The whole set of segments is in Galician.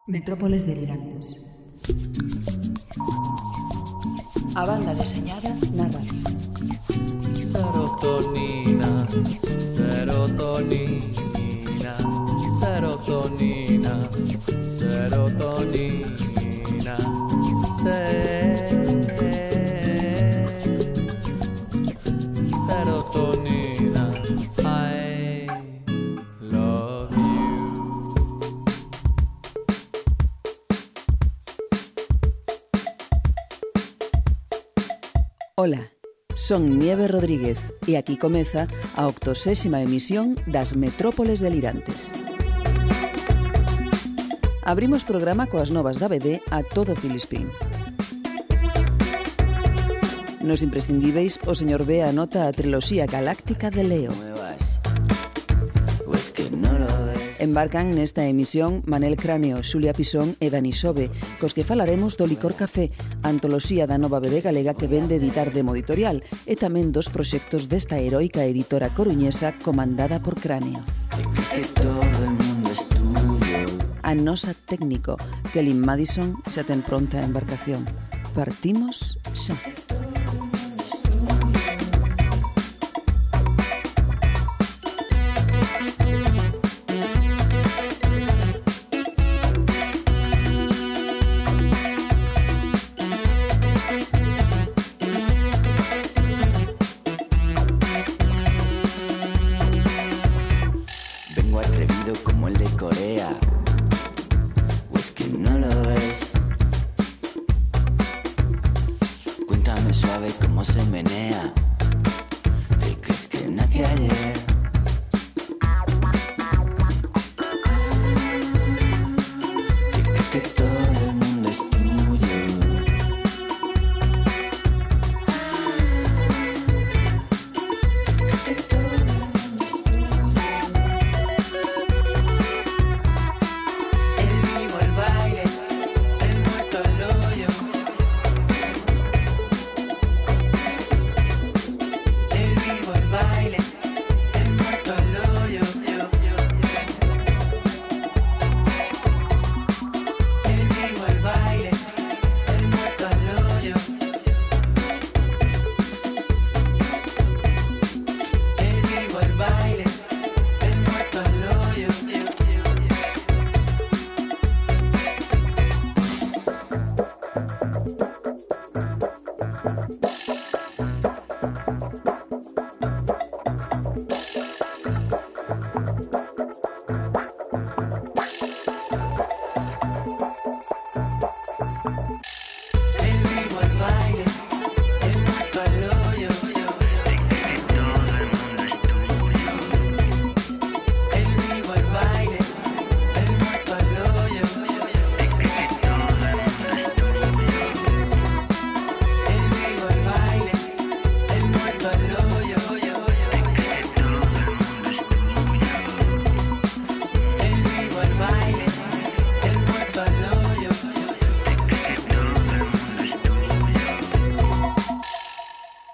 Metrópoles delirantes. A banda deseñada na radio. Serotonina, serotonina, serotonina, serotonina, serotonina, I love you. Ola, son Nieve Rodríguez e aquí comeza a 80ª emisión das Metrópoles delirantes. Abrimos programa coas novas da BD a todo Filispín. Nos imprescindíveis, o señor B anota a triloxía galáctica de Leo. Embarcan nesta emisión Manel Cráneo, Xulia Pisón e Dani Sobe, cos que falaremos do Licor Café, antoloxía da nova BD galega que vende editar Demo Editorial, e tamén dos proxectos desta heroica editora coruñesa comandada por Cráneo. A nosa técnico, Kelly Madison, xa ten pronta a embarcación. Partimos xa.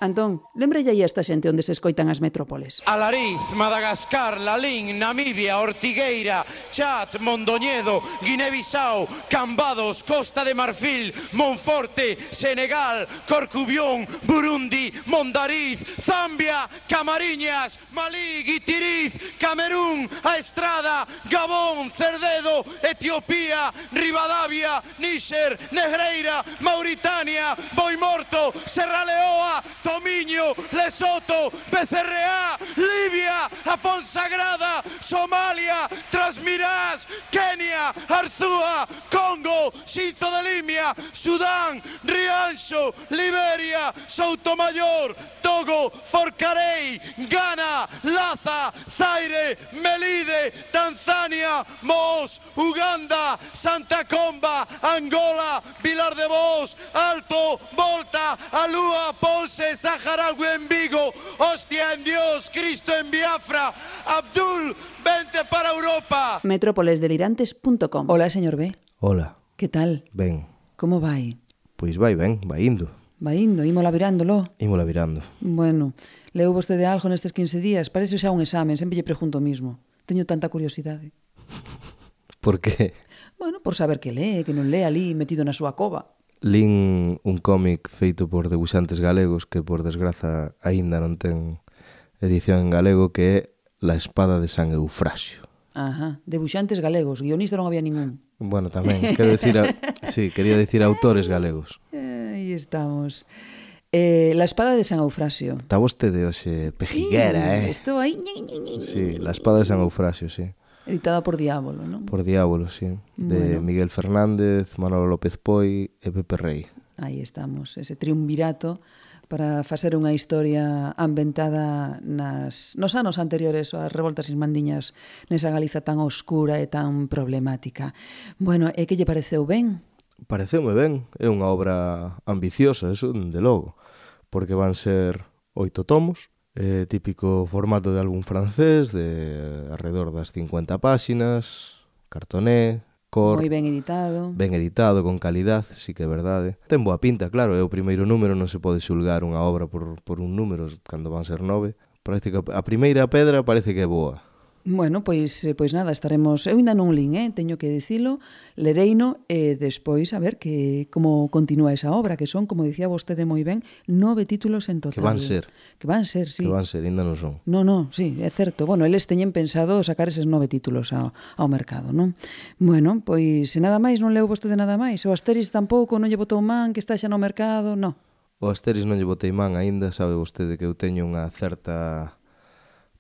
Antón, lembrelle aí a esta xente onde se escoitan as metrópoles. Alariz, Madagascar, Lalín, Namibia, Ortigueira, Chad, Mondoñedo, Guinea-Bissau, Cambados, Costa de Marfil, Monforte, Senegal, Corcubión, Burundi, Mondariz, Zambia, Camariñas, Malí, Guitiriz, Camerún, A Estrada, Gabón, Cerdedo, Etiopía, Rivadavia, Níxer, Negreira, Mauritania, Boimorto, Serra Leoa, Tomiño, Lesoto, BCRA, Libia, Afonsagrada, Somalia, Transmirás, Kenia, Arzúa, Congo, Xinzo de Limia, Sudán, Rianxo, Liberia, Soutomayor, Togo, Forcarei, Ghana, Laza, Zaire, Melide, Tanzania, Mos, Uganda, Santa Comba, Angola, Vilar de Vos, Alto, Volta, Alúa, Ponce, Saharaui en Vigo, hostia en Dios, Cristo en Biafra, Abdul, vente para Europa. Metrópolesdelirantes.com. Hola, señor B. Hola. Que tal? Ben. Como vai? Pois vai ben, vai indo. Vai indo, ímola virándolo. Ímola virando. Bueno, leu vostede algo nestes 15 días? Parece xa un examen, sempre lle pregunto o mismo. Teño tanta curiosidade. Por que? Bueno, por saber que lee, que non lee ali metido na súa cova. Lín un cómic feito por debuxantes galegos que, por desgraza, aínda non ten edición en galego, que é La espada de San Eufrasio. Ajá, debuxantes galegos, guionista non había ningún. Bueno, tamén, quero decir, sí, quería decir autores galegos. Aí estamos. La espada de San Eufrasio. Está vostede hoxe pejiguera, Estou aí. Sí, La espada de San Eufrasio, sí. Editada por Diabolo, non? Por Diabolo, sí. De Bueno. Miguel Fernández, Manolo López Poi e Pepe Rey. Aí estamos, ese triunvirato para facer unha historia ambientada nos anos anteriores ás revoltas ismandiñas nesa Galiza tan oscura e tan problemática. Bueno, e que lle pareceu ben? Pareceume ben, é unha obra ambiciosa, eso de logo, porque van ser 8 tomos, típico formato de álbum francés, de alrededor das 50 páxinas, cartoné, cor, Moi ben editado, con calidad, sí que é verdade. Ten boa pinta, claro, é o primeiro número, non se pode xulgar unha obra por un número, cando van ser 9. Parece que a primeira pedra parece que é boa. Bueno, pois nada, estaremos... Eu ainda non lín, teño que dicilo, lereino e despois a ver como continúa esa obra, que son, como dicía vostede moi ben, 9 títulos en total. Que van ser. Que van ser, sí. Que van ser, ainda non son. No, sí, é certo. Bueno, eles teñen pensado sacar eses 9 títulos ao mercado, non? Bueno, pois, se nada máis, non leu vostede nada máis. O Asterix tampouco, non lle botou man, que está xa no mercado, non. O Asterix non lle botei man aínda, sabe vostede que eu teño unha certa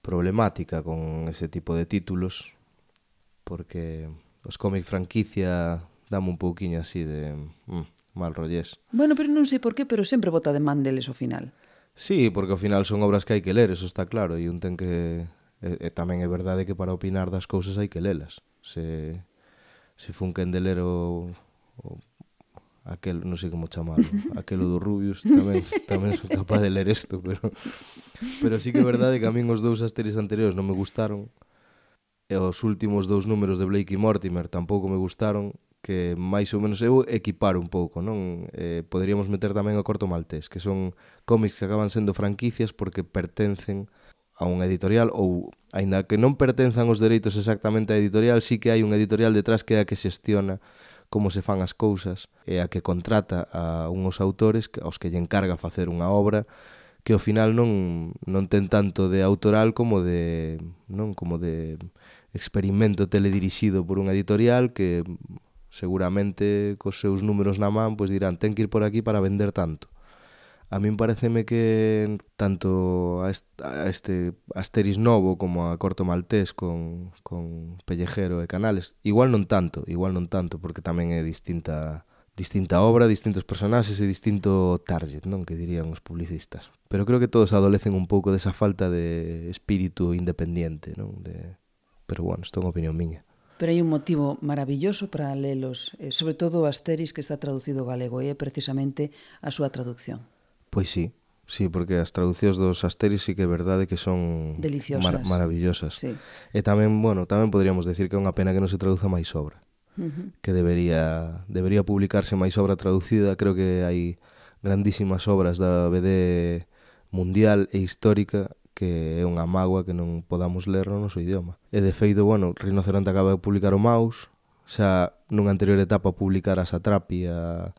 problemática con ese tipo de títulos, porque os cómic franquicia dame un pouquiño así de mal rollés. Bueno, pero non sei por qué, pero sempre bota de man deles ao final. Sí, porque ao final son obras que hai que ler, eso está claro, e un ten que... E tamén é verdade que para opinar das cousas hai que lelas. Se fun quen de ler aquel, non sei como chamalo, aquelo do Rubius, tamén son capaz de ler isto, pero sí que é verdade que a min os 2 Asterix anteriores non me gustaron, e os últimos 2 números de Blake e Mortimer tampouco me gustaron, que máis ou menos eu equipar un pouco, non? Poderíamos meter tamén o Corto Maltés, que son cómics que acaban sendo franquicias porque pertencen a unha editorial, ou, aínda que non pertenzan os dereitos exactamente á editorial, sí que hai unha editorial detrás que é a que xestiona como se fan as cousas, e a que contrata a unhos autores aos que lle encarga facer unha obra que ao final non ten tanto de autoral como de experimento teledirixido por unha editorial que seguramente cos seus números na man pois dirán, ten que ir por aquí para vender tanto. A min pareceme que tanto a este Asterix novo como a Corto Maltés con Pellejero e Canales, igual non tanto, porque tamén é distinta obra, distintos personaxes e distinto target, non, que dirían os publicistas. Pero creo que todos adolecen un pouco desa falta de espírito independiente, non? Pero bueno, isto é unha opinión miña. Pero hai un motivo maravilloso para lelos, sobre todo o Asterix que está traducido ao galego, e é precisamente a súa traducción. Pois sí, porque as traducións dos Asterix sí que é verdade que son maravillosas. Sí. E tamén, tamén poderíamos decir que é unha pena que non se traduza máis obra. Que debería publicarse máis obra traducida. Creo que hai grandísimas obras da BD mundial e histórica que é unha mágoa que non podamos ler no noso idioma. E de feito, Rinoceronte acaba de publicar o Maus, xa nunha anterior etapa publicar a Satrapi, a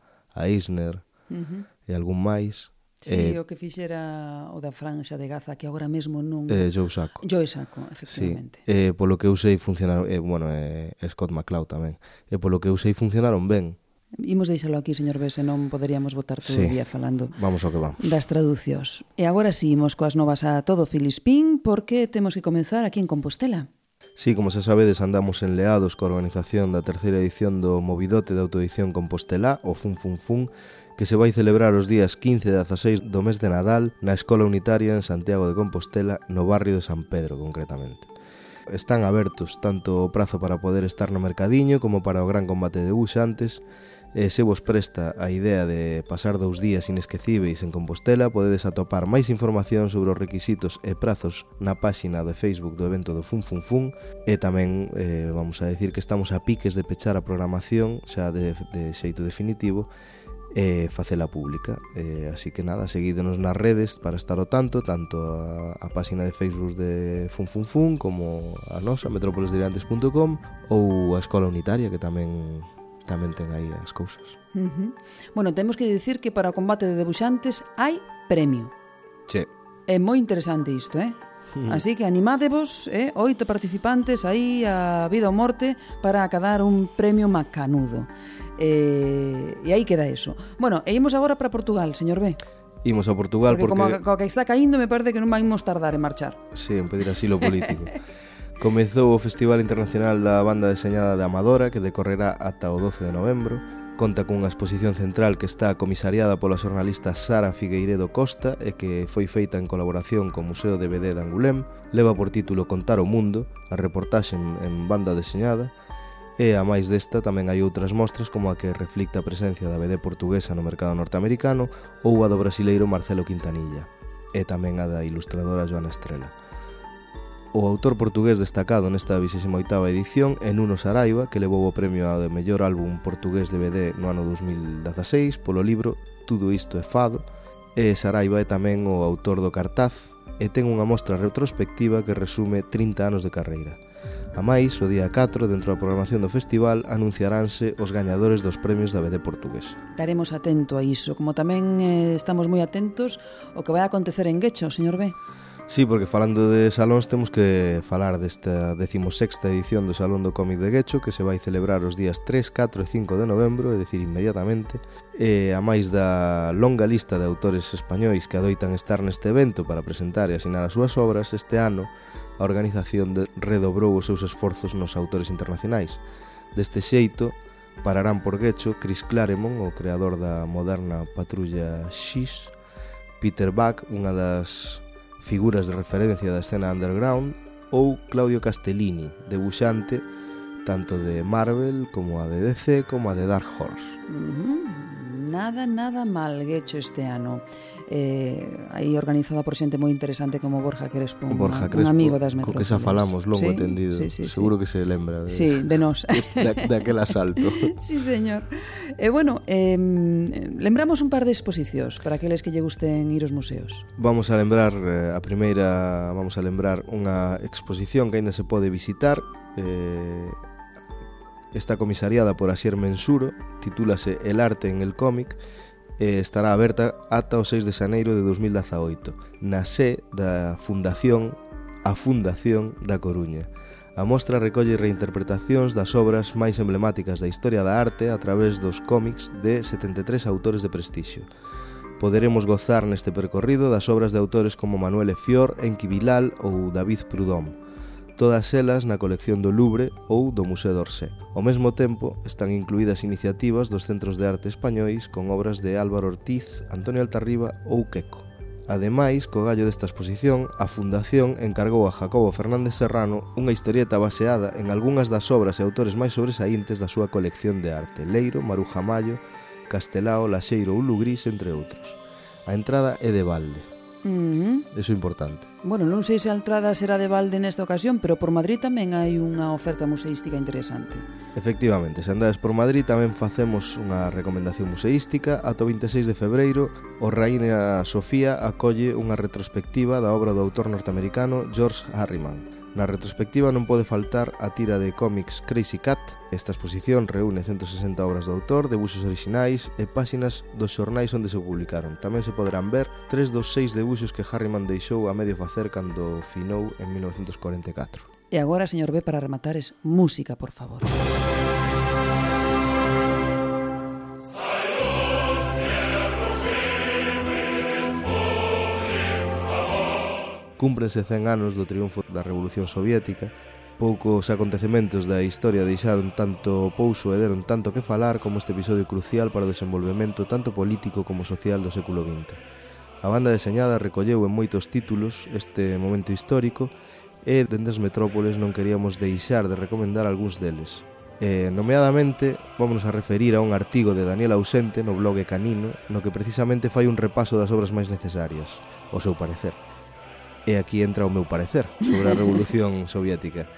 Eisner e algún máis. Sí, o que fixera o da Franxa de Gaza, que agora mesmo non... Joe Sacco. Joe Sacco, efectivamente. Sí, polo que eu sei funcionaron... Scott McCloud tamén. E polo que eu sei funcionaron ben. Imos deixalo aquí, señor B, senón poderíamos botar todo o día falando vamos ao que vamos. Das traducións. E agora sí, imos coas novas a todo Filispín, porque temos que comenzar aquí en Compostela. Sí, como se sabedes, andamos enleados coa organización da terceira edición do Movidote de Autoedición Compostela, o Fun Fun Fun, que se vai celebrar os días 15 e 16 do mes de Nadal na Escola Unitaria en Santiago de Compostela, no barrio de San Pedro, concretamente. Están abertos tanto o prazo para poder estar no mercadiño como para o gran combate de debuxantes, e se vos presta a idea de pasar 2 días inesquecíveis en Compostela, podedes atopar máis información sobre os requisitos e prazos na páxina de Facebook do evento do Fun Fun Fun, e tamén vamos a decir que estamos a piques de pechar a programación xa de xeito definitivo, e facela pública. Así que nada, seguídenos nas redes para estar ao tanto a página de Facebook de Funfunfun como a nosa, metrópolesdelirantes.com, ou a Escola Unitaria, que tamén ten aí as cousas. Bueno, temos que dicir que para o combate de debuxantes hai premio. Che. É moi interesante isto, Así que animádevos, 8 participantes aí a vida ou morte para acadar un premio macanudo. E aí queda eso. Bueno, e imos agora para Portugal, señor B. Imos a Portugal porque como que está caindo me parece que non vamos tardar en marchar. Sí, en pedir asilo político. Comezou o Festival Internacional da Banda Deseñada de Amadora, que decorrerá ata o 12 de novembro. Conta cunha exposición central que está comisariada pola xornalista Sara Figueiredo Costa e que foi feita en colaboración co Museo de BD de Angulem. Leva por título Contar o Mundo, a reportaxe en banda deseñada. E, a máis desta, tamén hai outras mostras como a que reflicta a presencia da BD portuguesa no mercado norteamericano ou a do brasileiro Marcelo Quintanilla, e tamén a da ilustradora Joana Estrela. O autor portugués destacado nesta 28ª edición é Nuno Saraiva, que levou o premio ao de mellor álbum portugués de BD no ano 2016 polo libro Tudo isto é fado, e Saraiva é tamén o autor do cartaz e ten unha mostra retrospectiva que resume 30 anos de carreira. A máis, o día 4, dentro da programación do festival, anunciaránse os gañadores dos premios da BD portugués. Estaremos atento a iso, como tamén estamos moi atentos ao que vai acontecer en Guecho, señor B. Sí, porque falando de salóns temos que falar desta 16ª edición do Salón do Cómic de Guecho, que se vai celebrar os días 3, 4 e 5 de novembro, é dicir, inmediatamente. E a máis da longa lista de autores españois que adoitan estar neste evento para presentar e asinar as súas obras, este ano a organización redobrou os seus esforzos nos autores internacionais. Deste xeito, pararán por Guecho Chris Claremont, o creador da moderna Patrulla X, Peter Buck, unha das figuras de referencia da escena underground, ou Claudio Castellini, debuxante tanto de Marvel como a de DC como a de Dark Horse. Nada mal Guecho este ano. Aí organizada por xente moi interesante como Borja Crespo, un amigo das metrópoles. Co que xa falamos longo entendido. Seguro que se lembra de nós. Daquel asalto. Sí, señor. Bueno, lembramos un par de exposicións para aqueles que lle gusten ir aos museos. Vamos a lembrar unha exposición que aínda se pode visitar. Está comisariada por Asier Mensuro, titúlase El arte en el cómic, e estará aberta ata o 6 de xaneiro de 2018 na sé da Fundación da Coruña. A mostra recolle reinterpretacións das obras máis emblemáticas da historia da arte a través dos cómics de 73 autores de prestixio. Poderemos gozar neste percorrido das obras de autores como Manuel Efior, Enki Bilal ou David Prudhomme, todas elas na colección do Louvre ou do Museo d'Orsay. Ao mesmo tempo, están incluídas iniciativas dos centros de arte españois con obras de Álvaro Ortiz, Antonio Altarriba ou Queco. Ademais, co gallo desta exposición, a Fundación encargou a Jacobo Fernández Serrano unha historieta baseada en algunhas das obras e autores máis sobresaíntes da súa colección de arte: Leiro, Maruja Mallo, Castelao, Laxeiro ou Lugrís, entre outros. A entrada é de balde. Eso é importante. Bueno, non sei se a entrada será de balde nesta ocasión, pero por Madrid tamén hai unha oferta museística interesante. Efectivamente, se andades por Madrid tamén facemos unha recomendación museística. Ata o 26 de febreiro, o Raína Sofía acolle unha retrospectiva da obra do autor norteamericano George Harriman. Na retrospectiva non pode faltar a tira de cómics Crazy Cat. Esta exposición reúne 160 obras do autor, debuxos orixinais e páxinas dos xornais onde se publicaron. Tamén se poderán ver 3 dos 6 debuxos que Harriman deixou a medio facer cando finou en 1944. E agora, señor B, para rematar, es música, por favor. Cúmprense 100 anos do triunfo da Revolución Soviética. Poucos acontecementos da historia deixaron tanto pouso e deron tanto que falar como este episodio crucial para o desenvolvemento tanto político como social do século XX. A banda deseñada recolleu en moitos títulos este momento histórico e dende as metrópoles non queríamos deixar de recomendar algúns deles. Nomeadamente, vamos a referir a un artigo de Daniel Ausente no blog Canino, no que precisamente fai un repaso das obras máis necesarias, ao seu parecer. E aquí entra o meu parecer sobre a Revolución Soviética.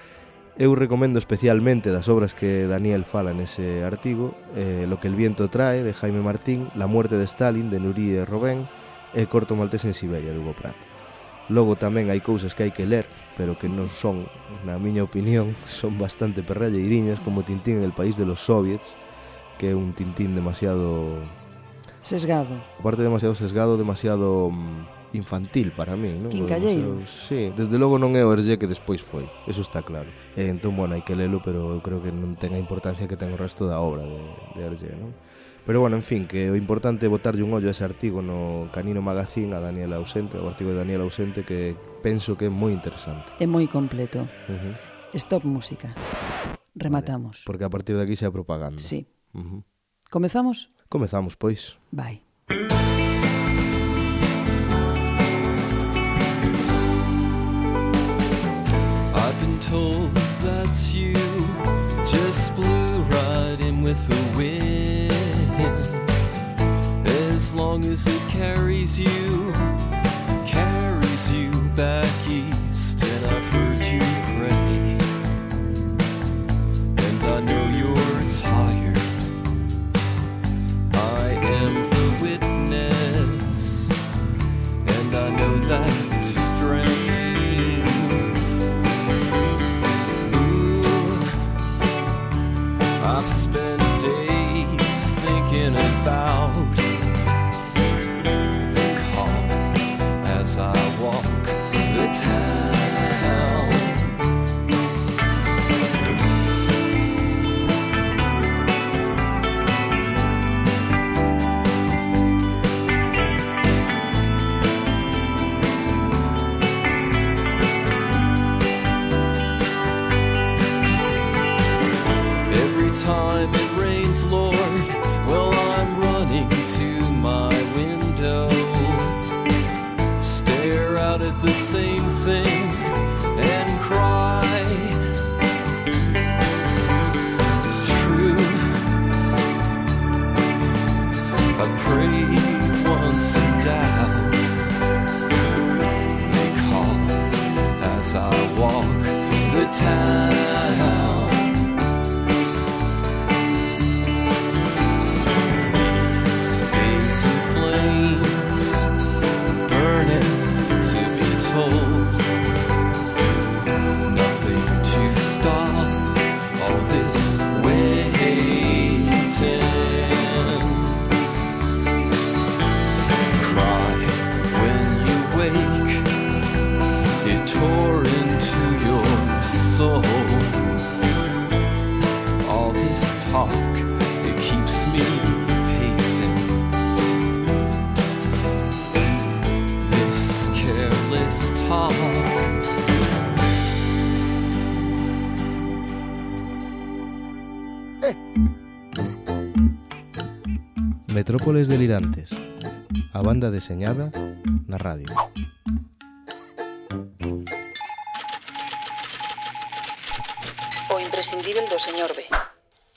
Eu recomendo especialmente das obras que Daniel fala nese artigo, Lo que el viento trae, de Jaime Martín, La muerte de Stalin, de Nurie Robén, e Corto maltés en Siberia, de Hugo Pratt. Logo tamén hai cousas que hai que ler, pero que non son, na miña opinión, son bastante perralleiriñas, como Tintín en el país de los soviets, que é un Tintín demasiado... Sesgado. Aparte demasiado sesgado, demasiado infantil para mí, non? Quincalleiro. Sí, desde logo non é o Hergé que despois foi, eso está claro. Entón, bueno, hai que lelo, pero eu creo que non ten a importancia que ten o resto da obra de Hergé, non? Pero, bueno, en fin, que o importante é botarlle un ollo a ese artigo no Canino Magazine a Daniel Ausente, o artigo de Daniel Ausente, que penso que é moi interesante. É moi completo. Stop música. Rematamos. Vale, porque a partir de aquí xa é propaganda. Sí. Comezamos? Comezamos, pois. Vai. I've been told that you just blew right in with the wind. As long as it carries you back east, and I've heard you pray. And I know you're tired. I am the witness, and I know that it's strange. I've spent days thinking about the call as I walk the town. Every time it rains, Lord, well, I'm running to my window, stare out at the same thing and cry. It's true, I prayed once in doubt. They call as I walk the town. Nothing to stop all this waiting. Cry when you wake, it tore into your soul. All this talk, it keeps me pacing. This careless talk. Metrópoles delirantes, a banda deseñada na radio. O imprescindível do señor B.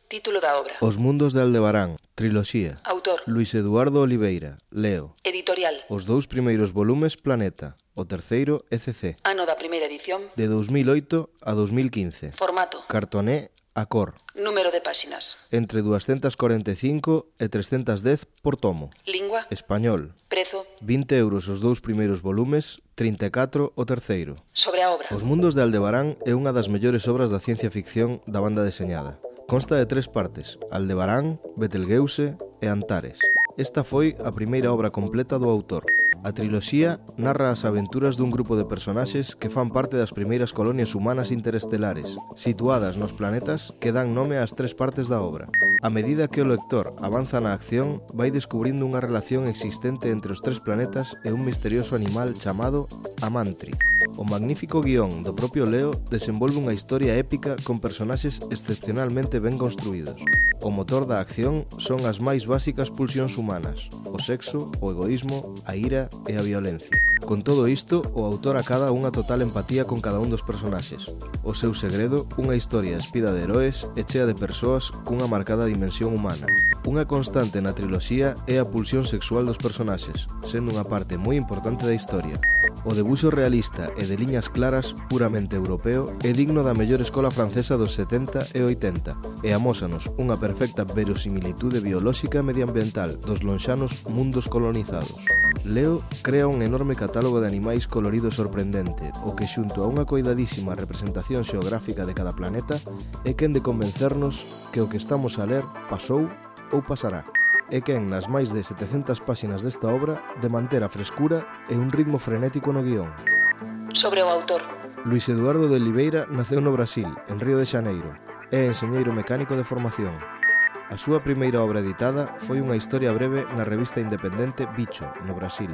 Título da obra. Os mundos de Aldebarán, triloxía. Autor. Luis Eduardo Oliveira, Leo. Editorial. Os dous primeiros volumes Planeta, o terceiro ECC. Ano da primeira edición. De 2008 a 2015. Formato. Cartoné a cor. Número de páxinas. Entre 245 e 310 por tomo. Lingua. Español. Prezo. 20 euros os dous primeiros volumes, 34 o terceiro. Sobre a obra. Os mundos de Aldebarán é unha das mellores obras da ciencia ficción da banda deseñada. Consta de 3 partes: Aldebarán, Betelgeuse e Antares. Esta foi a primeira obra completa do autor. A triloxía narra as aventuras dun grupo de personaxes que fan parte das primeiras colonias humanas interestelares, situadas nos planetas que dan nome ás 3 partes da obra. A medida que o lector avanza na acción, vai descubrindo unha relación existente entre os 3 planetas e un misterioso animal chamado Amantri. O magnífico guión do propio Leo desenvolve unha historia épica con personaxes excepcionalmente ben construídos. O motor da acción son as máis básicas pulsións humanas: o sexo, o egoísmo, a ira e a violencia. Con todo isto, o autor acada unha total empatía con cada un dos personaxes. O seu segredo, unha historia espida de heroes e chea de persoas cunha marcada dimensión humana. Unha constante na triloxía é a pulsión sexual dos personaxes, sendo unha parte moi importante da historia. O debuxo realista e de liñas claras puramente europeo é digno da mellor escola francesa dos 70 e 80 e amósanos unha perfecta verosimilitude biolóxica e medioambiental dos lonxanos mundos colonizados. Leo crea un enorme catálogo de animais colorido e sorprendente, o que xunto a unha coidadísima representación xeográfica de cada planeta é quen de convencernos que o que estamos a ler pasou ou pasará. É quen nas máis de 700 páxinas desta obra de manter a frescura e un ritmo frenético no guión. Sobre o autor. Luis Eduardo de Oliveira naceu no Brasil, en Río de Xaneiro. É enxeñeiro mecánico de formación. A súa primeira obra editada foi unha historia breve na revista independente Bicho, no Brasil.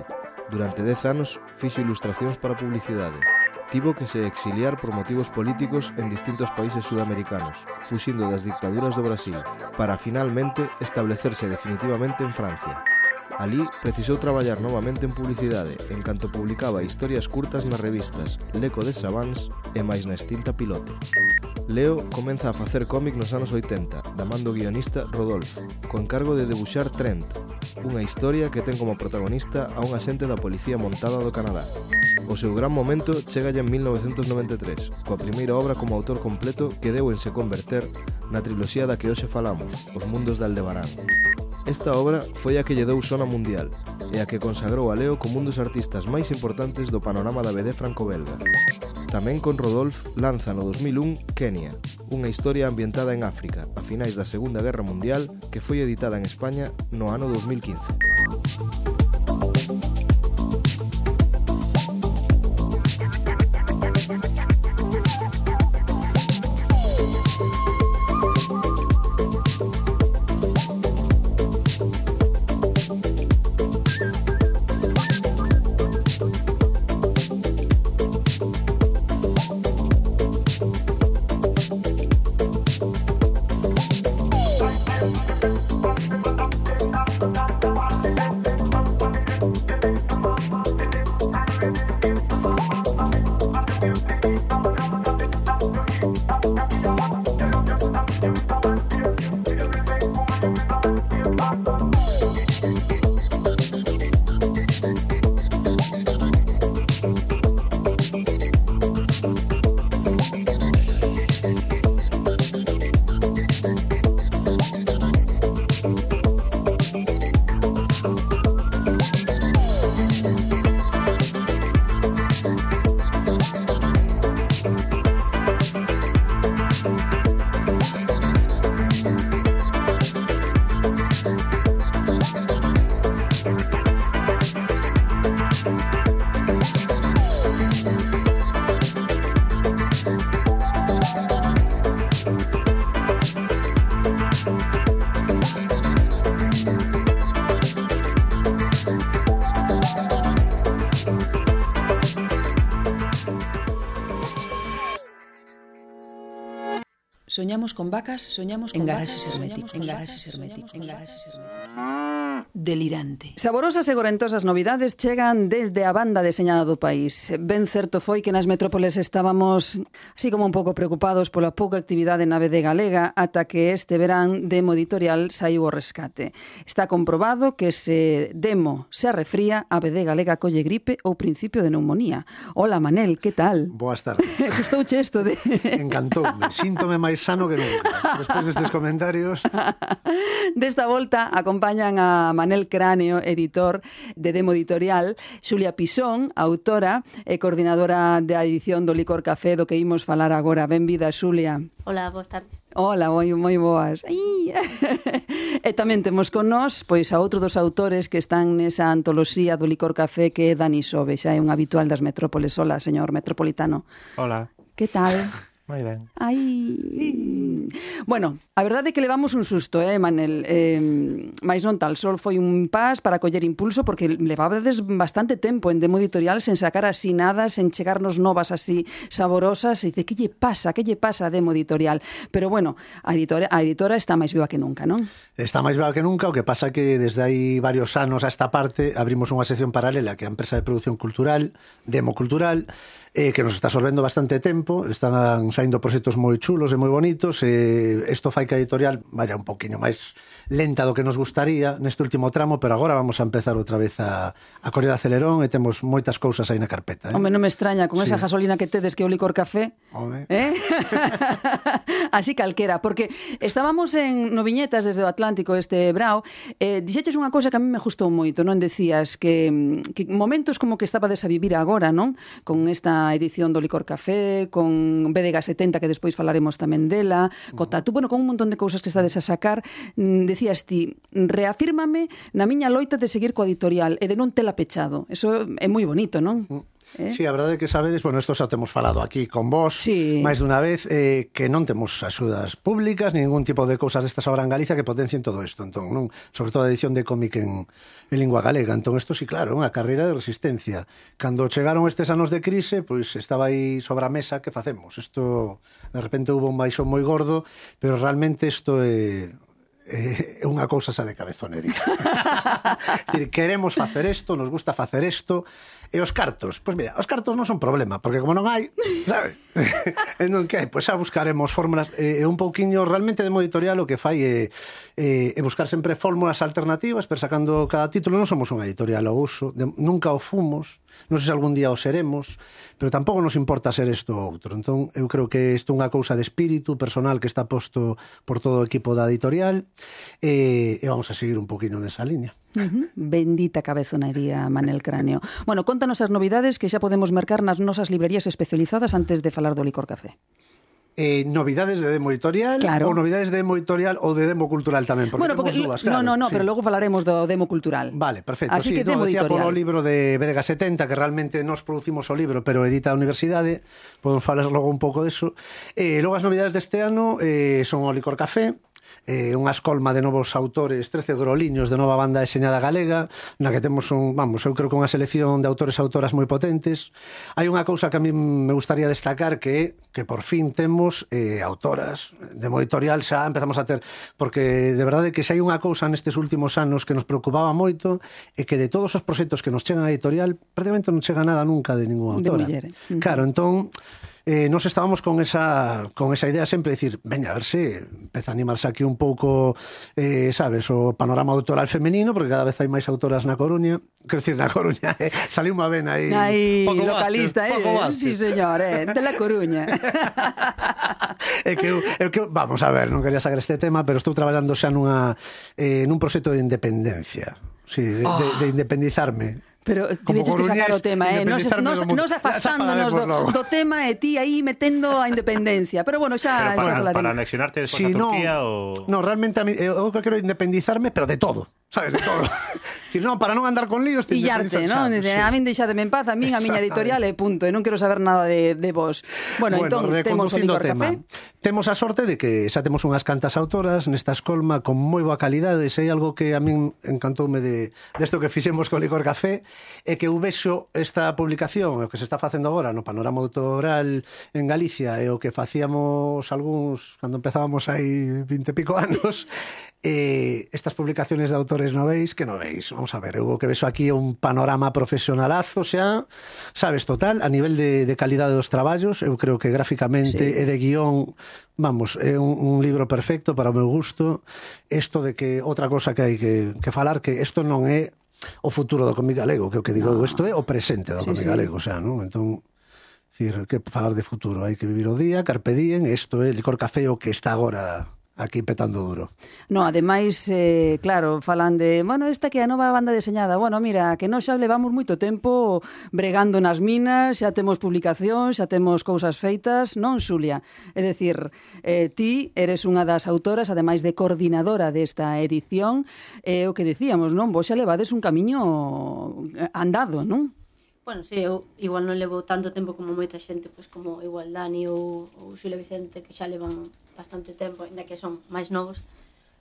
Durante 10 anos fixo ilustracións para publicidade. Tivo que se exiliar por motivos políticos en distintos países sudamericanos, fuxindo das dictaduras do Brasil, para finalmente establecerse definitivamente en Francia. Alí precisou traballar novamente en publicidade, en canto publicaba historias curtas nas revistas L'Eco de Savants e máis na extinta Pilote. Leo comeza a facer cómic nos anos 80, da man do guionista Rodolphe, co encargo de debuxar Trent, unha historia que ten como protagonista a un axente da Policía Montada do Canadá. O seu gran momento chega en 1993, coa primeira obra como autor completo que deu en se converter na triloxía da que hoxe falamos, Os Mundos de Aldebarán. Esta obra foi a que lle deu sona mundial e a que consagrou a Leo como un dos artistas máis importantes do panorama da BD franco-belga. Tamén con Rodolphe lanza no 2001 Kenia, unha historia ambientada en África a finais da Segunda Guerra Mundial que foi editada en España no ano 2015. Soñamos con vacas, soñamos con garaxes herméticos, en garaxes herméticos, en garaxes herméticos. Delirante. Saborosas e gorentosas novidades chegan desde a banda deseñada do país. Ben certo foi que nas metrópoles estábamos así como un pouco preocupados pola pouca actividade na BD galega ata que este verán Demo Editorial saiu ao rescate. Está comprobado que se Demo se arrefría, a BD galega colle gripe ou principio de neumonía. Hola Manel, que tal? Boas tardes. Gustouche isto de... Encantoume, síntome máis sano que nunca. Despois destes comentarios... Desta volta acompañan a Manel Cráneo, editor de Demo Editorial, Xulia Pisón, autora e coordinadora da edición do Licor Café, do que imos falar agora. Benvida, Xulia. Hola, boas tardes. Hola, moi boas. E tamén temos con nós pois a outro dos autores que están nesa antoloxía do Licor Café, que é Dani Sobe, xa é un habitual das metrópoles. Hola, señor metropolitano. Hola. Que tal? Moi ben. Ai. Bueno, a verdade é que levamos un susto, Manel? Mais non tal, sol foi un pas para coller impulso porque levabades bastante tempo en Demo Editorial sen sacar así nada, sen chegarnos novas así saborosas e dice, que lle pasa a Demo Editorial? Pero bueno, a editora está máis viva que nunca, non? Está máis viva que nunca, o que pasa que desde hai varios anos a esta parte abrimos unha sección paralela que é a empresa de producción cultural, Demo Cultural, que nos está absorbendo bastante tempo, están saindo proxectos moi chulos e moi bonitos, isto fai que a editorial vaya un poquinho máis lenta do que nos gustaría neste último tramo, pero agora vamos a empezar outra vez a correr acelerón e temos moitas cousas aí na carpeta. Home, non me extraña con esa gasolina que tedes que o licor café. Home. Así calquera, porque estábamos no Viñetas desde o Atlántico este brao, dixeches unha cousa que a mí me gustou moito, non? Decías que momentos como que estabades a vivir agora, non? Con esta edición do licor café, con BDG 70, que despois falaremos tamén dela, co Tatu, bueno, con un montón de cousas que estades a sacar, decías ti, reafírmame na miña loita de seguir coa editorial e de non tela pechado. Eso é moi bonito, non? Sí, a verdade é que sabedes, bueno, isto xa temos falado aquí con vos máis dunha vez, que non temos axudas públicas, ningún tipo de cousas destas agora en Galicia que potencien todo isto, entón, non? Sobre todo a edición de cómic en lingua galega, entón isto sí, claro, unha carreira de resistencia. Cando chegaron estes anos de crise, pois estaba aí sobre a mesa, que facemos? Isto, de repente hubo un baixón moi gordo, pero realmente isto é unha cousa xa de cabezonería. Decir, queremos facer isto, nos gusta facer isto, e os cartos, pois mira, os cartos non son problema, porque como non hai, sabe? Non que hai, pois xa buscaremos fórmulas, un pouquiño realmente de modo editorial o que fai é buscar sempre fórmulas alternativas, pero sacando cada título. Non somos unha editorial ao uso, nunca o fomos, non sei se algún día o seremos, pero tampouco nos importa ser isto ou outro. Entón, eu creo que isto é unha cousa de espírito personal que está posto por todo o equipo da editorial, e vamos a seguir un poquinho nesa línea. Bendita cabezonería, Manel Cráneo. Bueno, contanos as novidades que xa podemos mercar nas nosas librerías especializadas antes de falar do licor café. Novidades de Demo Editorial, claro. Ou novidades de Demo Editorial ou de Demo Cultural tamén, porque bueno, temos dúas, claro. No, sí. Pero logo falaremos do Demo Cultural. Vale, perfecto. Así sí, que Demo decía Editorial. polo libro de BDG 70, que realmente nos producimos o libro, pero edita a universidade, podemos falar logo un pouco deso. Logo as novidades deste ano son o Licor Café, unha escolma de novos autores, 13 groliños de nova banda deseñada galega, na que temos eu creo que unha selección de autores e autoras moi potentes. Hai unha cousa que a mí me gustaría destacar, que por fin temos autoras de modo editorial, xa empezamos a ter, porque de verdade que xa hai unha cousa nestes últimos anos que nos preocupaba moito, e que de todos os proxectos que nos chegan a editorial, prácticamente non chega nada nunca de ninguna autora. De muller. Claro, entón nos estábamos con esa idea sempre de decir, veña, a ver se empeza a animarse aquí un pouco, sabes, o panorama autoral femenino, porque cada vez hai máis autoras na Coruña. Quero dicir, na Coruña, saliu unha vena aí. Aí, Paco localista, Vázquez. Sí, señor, de la Coruña. É que, vamos a ver, non quería sacar este tema, pero estou traballando xa nun proxecto de independencia. Sí, de independizarme. Pero tiveches que sacar o tema, nos afastándonos do tema e ti aí metendo a independencia. Pero bueno, xa para anexionarte despois a Turquía ou... No, realmente eu quero independizarme, pero de todo. Sabes, de todo. Decir, non, para non andar con líos, pillarte, non? Sí. A min deixademe en paz, a miña editorial e punto, e non quero saber nada de vos. Bueno, entón, temos o Licor Café. Temos a sorte de que xa temos unhas cantas autoras nesta escolma con moi boa calidade, e sei algo que a min encantoume desto que fixemos co Licor Café, é que eu vexo esta publicación, o que se está facendo agora no panorama autoral en Galicia, e o que facíamos algúns cando empezábamos aí 20 e pico anos, estas publicaciones de autores noveis, que non veis, vamos a ver, eu o que vexo aquí é un panorama profesionalazo, xa, sabes, total, a nivel de calidade dos traballos. Eu creo que gráficamente e de guión, vamos, é un libro perfecto para o meu gusto. Isto de que, outra cosa que hai que falar, que isto non é o futuro do cómic galego, que o que digo, isto é o presente do cómic galego, o sea, non? Entón, decir, que falar de futuro, hai que vivir o día, carpe diem, isto é Licor Café o que está agora aquí petando duro. No, ademais, claro, falan de, bueno, esta que é a nova banda deseñada. Bueno, mira, que nós xa levamos moito tempo bregando nas minas, xa temos publicacións, xa temos cousas feitas, non, Xulia? É dicir, ti eres unha das autoras, ademais de coordinadora desta edición, o que dicíamos, non? Vos xa levades un camiño andado, non? Bueno, sí, eu igual non levo tanto tempo como moita xente, pois como igual Dani ou Xulia Vicente, que xa levan bastante tempo, ainda que son máis novos.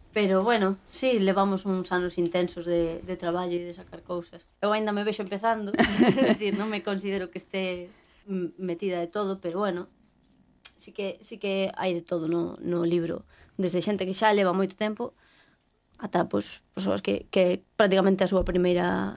Pero, bueno, sí, levamos uns anos intensos de traballo e de sacar cousas. Eu ainda me vexo empezando, é dicir, non me considero que este metida de todo, pero, bueno, sí que hai de todo no libro. Desde xente que xa leva moito tempo, ata, pois, persoas que prácticamente a súa primeira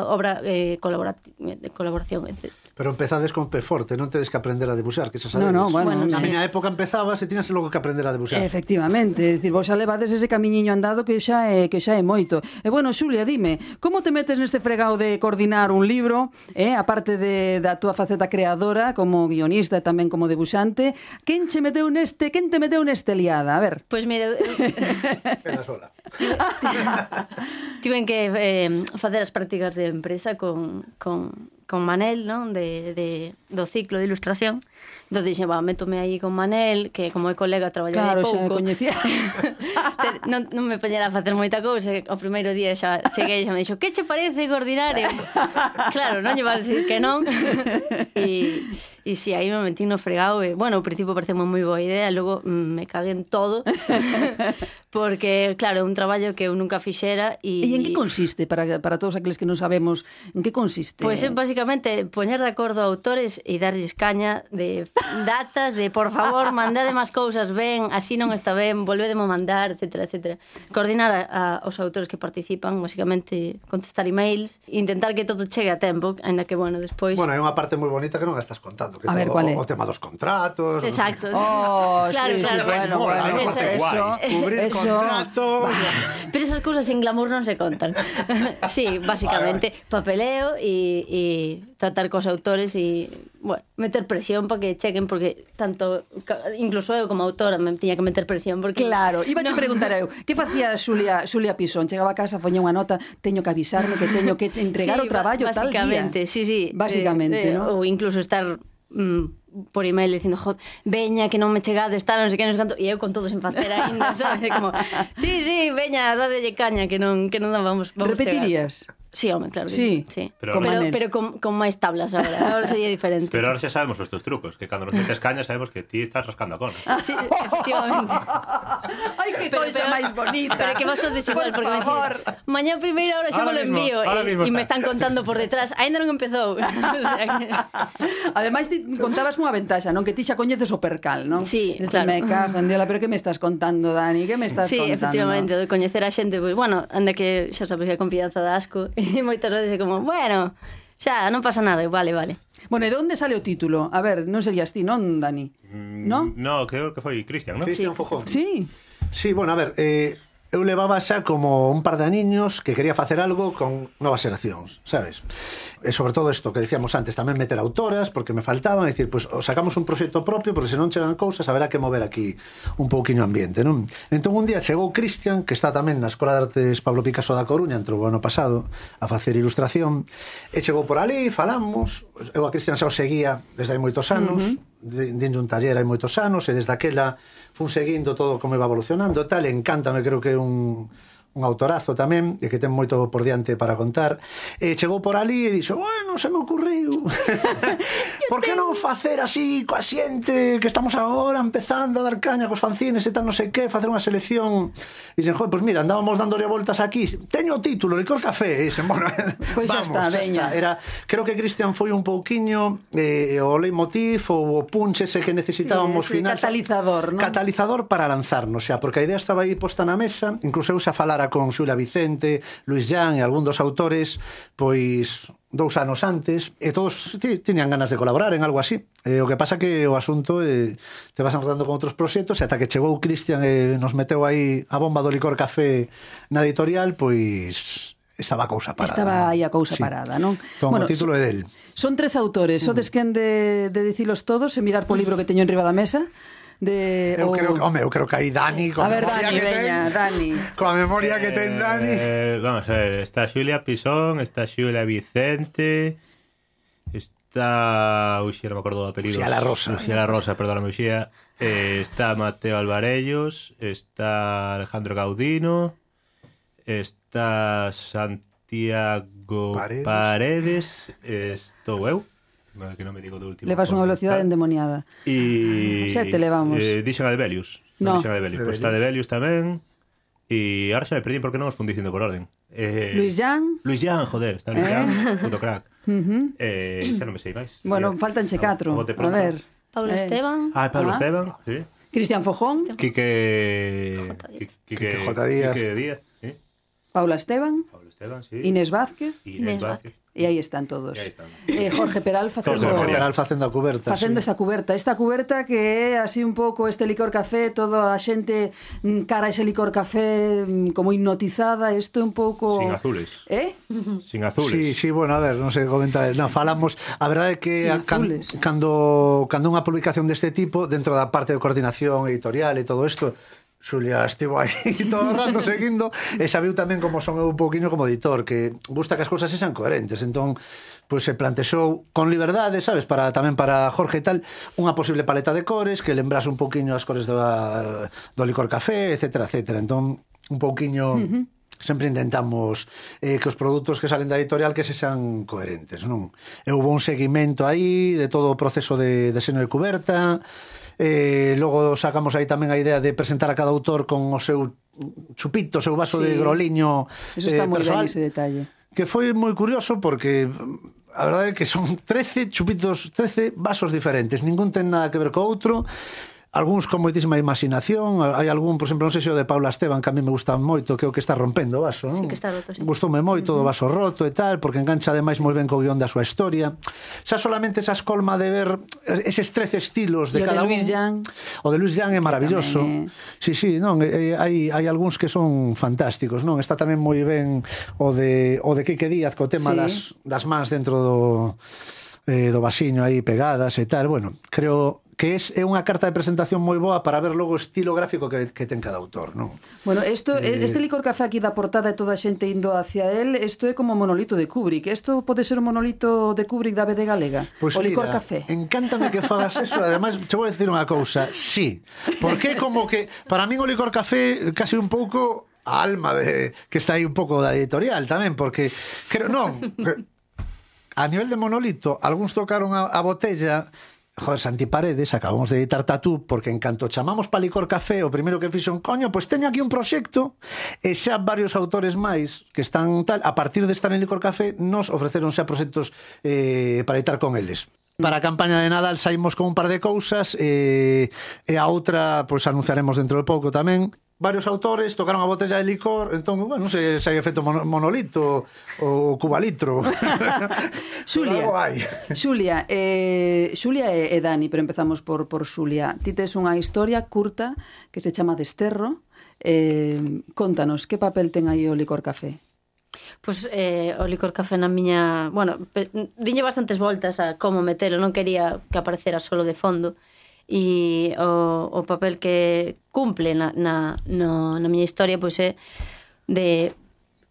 obra de colaboración, etc. Pero empezades con pé forte, non tedes que aprender a debuxar, que xa sabedes. Bueno, na miña época empezabas e tiñas logo que aprender a debuxar. Efectivamente, é dicir, vos xa levades ese camiñiño andado que xa é moito. E bueno, Xulia, dime, como te metes neste fregado de coordinar un libro, aparte da túa faceta creadora como guionista e tamén como debuxante, quen te meteu neste liada? A ver. Pois mira, Pena sola. tiven que facer as prácticas de empresa con Manel, non? Do ciclo de ilustración. Entón dixen, métome aí con Manel, que como é colega traballaba pouco. Claro, xa me coñecía. non me poñera a facer moita cousa. O primeiro día xa cheguei e xa me dixo, que che parece coordinar? Claro, non lle va a decir que non. E si, aí me metí no fregado e, bueno, ao principio pareceme moi boa idea, logo me cagué en todo. Porque, claro, é un traballo que eu nunca fixera. E en que consiste, para todos aqueles que non sabemos, en que consiste? Pois é, basicamente, poñer de acordo a autores e darlles caña de datas, de, por favor, mandade máis cousas ben, así non está ben, volvedemo mandar, etcétera, etcétera. Coordinar aos autores que participan, basicamente, contestar emails, intentar que todo chegue a tempo, ainda que, bueno, despois... Bueno, hai unha parte moi bonita que non estás contando, que a ver, ¿cuál é? O tema dos contratos. Exacto. Claro, bueno, eso. Cubrir contratos. Pero esas cousas sin glamour non se contan. Sí, básicamente, papeleo e tratar cos autores e, bueno, meter presión para que chequen, porque tanto, incluso eu como autora me tiña que meter presión, porque... Claro, iba a preguntar eu, que facía Xulia Pisón? Chegaba a casa, foña unha nota, teño que avisarme que teño que entregar o traballo tal día. Básicamente, sí. Básicamente, ¿no? Ou incluso estar por email dicindo, veña, que non me chegades, tal, non sei que, non sei canto, e eu con todo sen facer ainda, sabes? Como, sí, veña, dadelle caña, que non vamos repetirías? Chegar. Sí, home, claro. Sí. Pero con máis tablas ahora sería diferente. Pero ahora xa sabemos os teus trucos, que cando nos metes caña sabemos que ti estás rascando a cona. Sí, efectivamente. Ai, que cousa máis bonita. Pero que vas a desigual, porque me dices, mañá primeira hora xa me lo envío e me están contando por detrás, aínda non empezou. O sea que... Ademais, ti contabas unha ventaxa, non? Que ti xa coñeces o percal, non? Sí, claro. Me cago en Diola, pero que me estás contando, Dani? Que me estás contando? Sí, efectivamente, de coñecer a xente, pues, bueno, anda que xa sabes que a confianza da asco. E moitas veces é como, bueno, xa, non pasa nada, vale. Bueno, e de onde sale o título? A ver, non serías ti, non, Dani? Non? No, creo que foi Cristian, non? Cristian Fojón. Sí. Sí, bueno, a ver, eu levaba xa como un par de aniños que quería facer algo con novas xeracións, sabes? E sobre todo isto que decíamos antes, tamén meter autoras, porque me faltaban, é dicir, pues, sacamos un proxecto propio, porque se non chegan cousas, haberá que mover aquí un pouquiño ambiente, non? Entón un día chegou Cristian, que está tamén na Escola de Artes Pablo Picasso da Coruña, entrou o ano pasado a facer ilustración, e chegou por ali, falamos, eu a Cristian xa o seguía desde hai moitos anos, dentro un taller hai moitos anos, e desde aquela fun seguindo todo como iba evolucionando e tal, encántame, creo que é un autorazo tamén, e que ten moito por diante para contar, e chegou por ali e dixo, bueno, se me ocurriu por que non facer así coa xente que estamos agora empezando a dar caña cos fanzines e tal, non sei que, facer unha selección, e dixen, joder, pues mira, andábamos dándole voltas aquí, teño o título, Licor Café, e dixen, bueno, pues vamos, xa está. Era, creo que Cristian foi un pouquiño o leitmotiv ou o punch ese que necesitábamos final, catalizador, non? Catalizador para lanzarnos, xa, porque a idea estaba aí posta na mesa, incluso eu xa falara con Xulia Vicente, Luis Jan e algún dos autores, pois 2 anos antes, e todos tiñan ganas de colaborar en algo así. O que pasa que o asunto te vas enredando con outros proxectos, e ata que chegou Cristian e nos meteu aí a bomba do Licor Café na editorial, pois estaba a cousa parada. Estaba aí a cousa parada, non? Bueno, o título é del. Son 3 autores, sodes quen de dicilos todos e mirar po libro que teño enriba da mesa? Eu creo que aí Dani, con a ver, Dani. Con a memoria que ten Dani. Vamos a ver, está Xulia Pisón, está Xulia Vicente, está... Uxía, non me acordo do apelido. Uxía La Rosa, perdóname, Uxía. Está Mateo Alvarellos, está Alejandro Gaudino, está Santiago Paredes, estou eu. Que non me digo do último. Levas unha velocidade endemoniada. E 7 levamos. Dixen a de Belius. No. Pues está de Belius tamén. E ahora xa me perdí porque non os fun dicindo por orden. Luis Jan, joder, está Luis Jan, puto crack. Xa non me sei máis. Bueno, faltanche 4. A ver. Pablo Esteban. Pablo Esteban, sí. Cristian Fojón. Quique J. Díaz. Paula Esteban. Esteban, sí. Inés Vázquez. Inés Vázquez. E aí están todos. E aí están. Jorge Peral facendo facendo a cuberta. Facendo esa cuberta. Esta cuberta que é así un pouco este licor café, toda a xente cara a ese licor café como hipnotizada, isto é un pouco... Sin azules. Sin Sí, azules. sí, bueno, a ver, non sei comentar. No, falamos, a verdade é que cando unha publicación deste tipo, dentro da parte de coordinación editorial e todo isto, Xulia estivo aí todo o rato seguindo e sabiu tamén como son eu un pouquinho como editor, que gusta que as cousas sexan coherentes. Entón, pois se plantexou con liberdade, sabes, tamén para Jorge e tal, unha posible paleta de cores que lembrase un pouquiño as cores do licor café, etcétera, etcétera. Entón, un pouquiño sempre intentamos que os produtos que salen da editorial que sexan coherentes, non? E houve un seguimento aí de todo o proceso de deseño de cuberta. Logo sacamos aí tamén a idea de presentar a cada autor con o seu chupito, o seu vaso de groliño eso está moi personal, ben ese detalle, que foi moi curioso porque a verdade é que son 13 chupitos, 13 vasos diferentes, ningún ten nada que ver co outro, algúns con moitísima imaginación. Hai algún, por exemplo, non sei se o de Paula Esteban, que a mí me gusta moito, que é o que está rompendo o vaso, non? Sí, que está roto, sí. Gustoume moito o vaso roto e tal, porque engancha ademais moi ben co guión da súa historia. Xa solamente esa escolma de ver eses 13 estilos de cada un. O de Luis Jan é maravilloso. Sí, sí, non, hai algúns que son fantásticos, non? Está tamén moi ben o de Quique Díaz co tema das mans dentro do vasiño aí pegadas e tal. Bueno, creo que é unha carta de presentación moi boa para ver logo o estilo gráfico que ten cada autor, non? Bueno, este licor café aquí da portada e toda a xente indo hacia él, isto é como o monolito de Kubrick. Isto pode ser o monolito de Kubrick da BD Galega? Pues o licor mira, café. Encántame que fagas eso. Ademais, che vou decir unha cousa. Sí, porque como que para min o licor café casi un pouco a alma que está aí un pouco da editorial tamén, porque creo, non, a nivel de monolito, algúns tocaron a botella. Joder, Santi Paredes, acabamos de editar Tatú, porque en canto chamamos pa Licor Café, o primeiro que fixo coño, pois teño aquí un proxecto, e xa varios autores máis que están tal, a partir de estar en Licor Café, nos ofreceron xa proxectos para editar con eles. Para a campaña de Nadal saímos con un par de cousas, e a outra, pois anunciaremos dentro de pouco tamén. Varios autores tocaron a botella de licor, entón, bueno, non sei se hai efecto monolito ou cubalitro. Xulia e Dani, pero empezamos por Xulia. Ti tes unha historia curta que se chama Desterro. Contanos, que papel ten aí o licor café? Pois o licor café na miña... Bueno, diñe bastantes voltas a como metelo, non quería que aparecera solo de fondo. E o papel que cumple na miña historia pois é de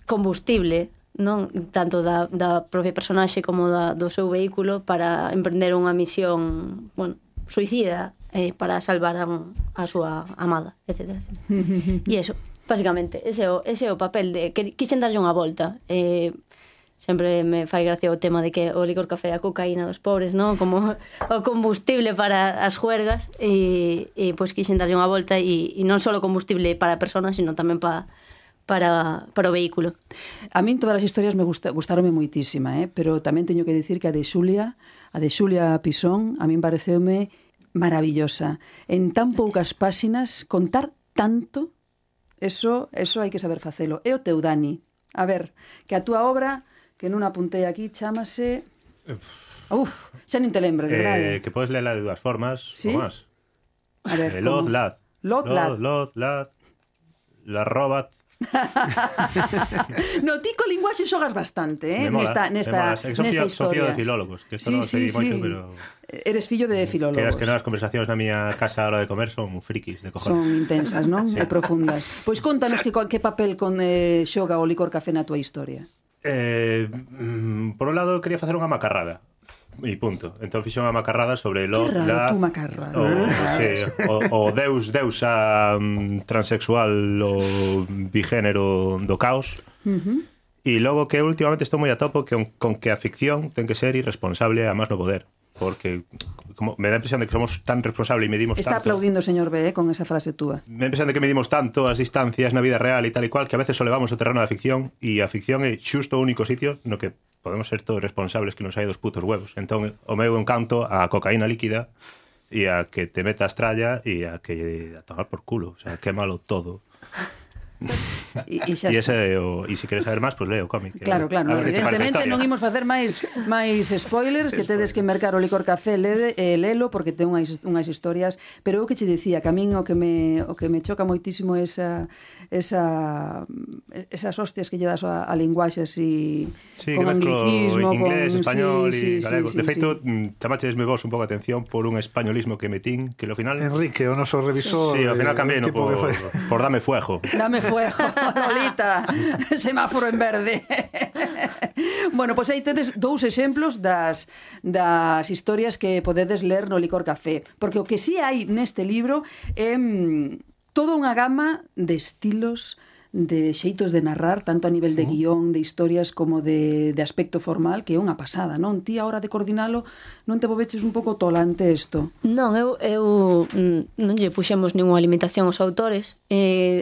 combustible, non tanto da propia personaxe como do seu vehículo para emprender unha misión, bueno, suicida para salvar a súa amada, etc. E iso, basicamente, ese é o papel de que quixen darlle unha volta. Sempre me fai gracia o tema de que o licor café é a cocaína dos pobres, non? Como o combustible para as juergas e pois quixen darlle unha volta e non só combustible para a persona, sino tamén para o vehículo. A min todas as historias me gustaronme moitísima, pero tamén teño que dicir que a de Xulia Pisón, a min pareceume maravillosa. En tan poucas páxinas, contar tanto, eso hai que saber facelo. E o teu, Dani? A ver, que a túa obra... que non apuntei aquí, chámase... xa nin te lembro, verdade? Que podes lela de dúas formas, ¿sí? ou máis. A ver, Lod, lad. La robat. No, ti co linguaxe xogas bastante, nesta historia. Sofía de filólogos, que isto non sei moito, pero... Eres fillo de filólogos. Que as conversacións na miña casa a hora de comer son frikis de cojones. Son intensas, non? E profundas. Pois contanos que papel xoga o licor café na túa historia. Por un lado quería facer unha macarrada e punto, entón fixo unha macarrada sobre o deusa transexual o bigénero do caos. E logo que últimamente estou moi a topo con que a ficción ten que ser irresponsable a máis no poder, porque como me dá a impresión de que somos tan responsables e medimos Está tanto. Está aplaudindo o señor B, con esa frase túa. Me dá a impresión de que medimos tanto as distancias na vida real e tal e cual que a veces solevamos o terreno da ficción, e a ficción é xusto o único sitio no que podemos ser todos responsables que nos hai dos putos huevos. Entón o meu encanto a cocaína líquida e a que te metas tralla e a que a tomar por culo, o sea, quémalo todo. E xa E está. se queres saber máis, pois leo o cómic. Claro, evidentemente non imos facer máis spoilers, que tedes que mercar o Licor Café, lelo, porque ten unhas historias, pero o que che dicía, que a min o que me choca moitísimo esas hostias que lle das a linguaxe así, con anglicismo, inglés, español e galego. sí, De feito, chamaches-me vos un pouco a atención por un españolismo que metín, que ao final... Enrique, o noso revisor... Sí, ao final cambiei por Dame Fuego. Dame fuego, Lolita, semáforo en verde. Bueno, pois aí tedes dous exemplos das historias que podedes ler no Licor Café, porque o que sí hai neste libro é toda unha gama de estilos, de xeitos de narrar, tanto a nivel de guión, de historias, como de aspecto formal, que é unha pasada, non? Ti, a hora de coordinalo, non te volveches un pouco tolante isto? Non, eu non lle puxemos ninguna limitación aos autores.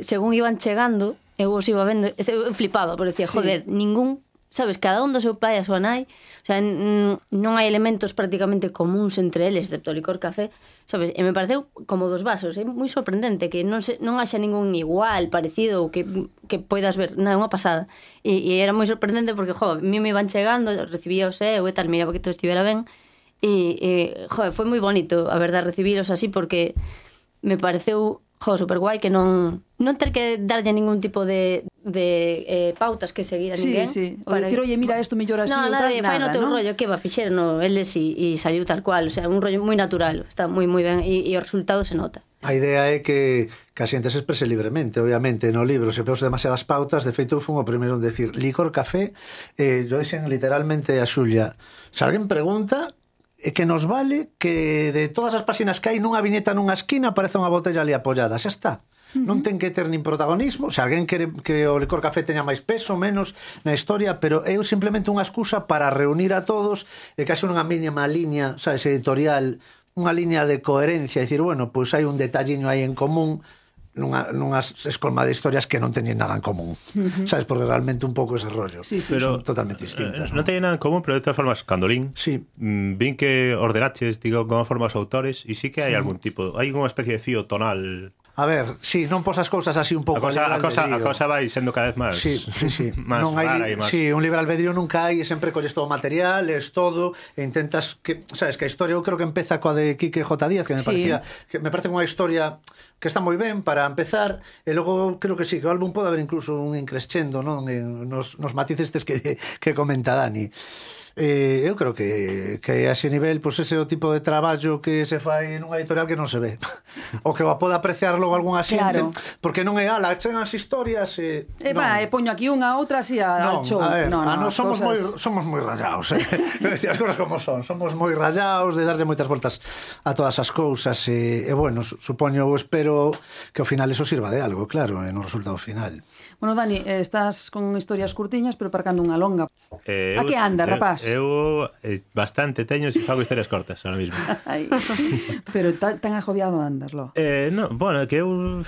Según iban chegando, eu os iba vendo, eu flipaba, porque decía, joder, ningún, sabes, cada un do seu pai e a súa nai, o sea, non hai elementos prácticamente comuns entre eles, excepto o Licor Café, sabes, e me pareceu como dos vasos, é moi sorprendente que non haxa ningún igual, parecido, ou que poidas ver, non, é unha pasada. E era moi sorprendente porque, a mí me iban chegando, recibía o seu e tal, miraba que todo estivera ben, e foi moi bonito, a verdade, recibiros así, porque me pareceu super guai que non ter que darlle ningún tipo de pautas que seguir a ninguén. Sí. O dicir, oye, mira, isto mellor así, no, ou tal, nada, fai no teu rollo, que va fixer no eles e saliu tal cual, o sea, un rollo moi natural, está moi ben e o resultado se nota. A idea é que a xente se exprese libremente, obviamente, no libro se peus demasiadas pautas, de feito fun o primeiro en decir Licor Café, yo dixen literalmente a Xulia, se alguén pregunta, que nos vale que de todas as páxinas que hai nunha viñeta nunha esquina aparece unha botella ali apoiada, xa está. Non ten que ter nin protagonismo, se alguén quere que o Licor Café teña máis peso, menos na historia, pero é simplemente unha excusa para reunir a todos e que haxe unha mínima liña, sabes, editorial, unha liña de coherencia, dicir, bueno, pois hai un detalliño aí en común nunhas escolma de historias que non teñen nada en común, sabes, porque realmente un pouco ese rollo, pero son totalmente distintas, non teñen nada en común, pero de todas formas, cando lín, vin que ordenaches, digo, como forma os autores, e sí que hai algún tipo, hai unha especie de fío tonal. A ver, non posas cousas así un pouco a cosa vai sendo cada vez máis máis rara e máis. Sí, un libre albedrío nunca hai, e sempre colles todo material, es todo, e intentas que, sabes, que a historia eu creo que empeza coa de Quique J. Díaz, que me parece unha historia que está moi ben para empezar, e logo creo que sí, que o álbum pode haber incluso un increscendo, non, nos matices estes que comenta Dani. Eu creo que a ese nivel, pois ese é o tipo de traballo que se fai nunha editorial que non se ve, o que o pode apreciar logo algún xente, porque non é chegan as historias e poño aquí unha outra así ao show. Somos moi rallados, decir as cousas como son, somos moi rallados de darlle moitas voltas a todas as cousas, e bueno, supoño, espero que ao final eso sirva de algo, claro, no resultado final. Bueno, Dani, estás con historias curtiñas pero parcando unha longa. A que andas, rapaz? Eu bastante teño se fago historias cortas ahora mismo. Pero tan agobiado andas, lo? No, bueno, que eu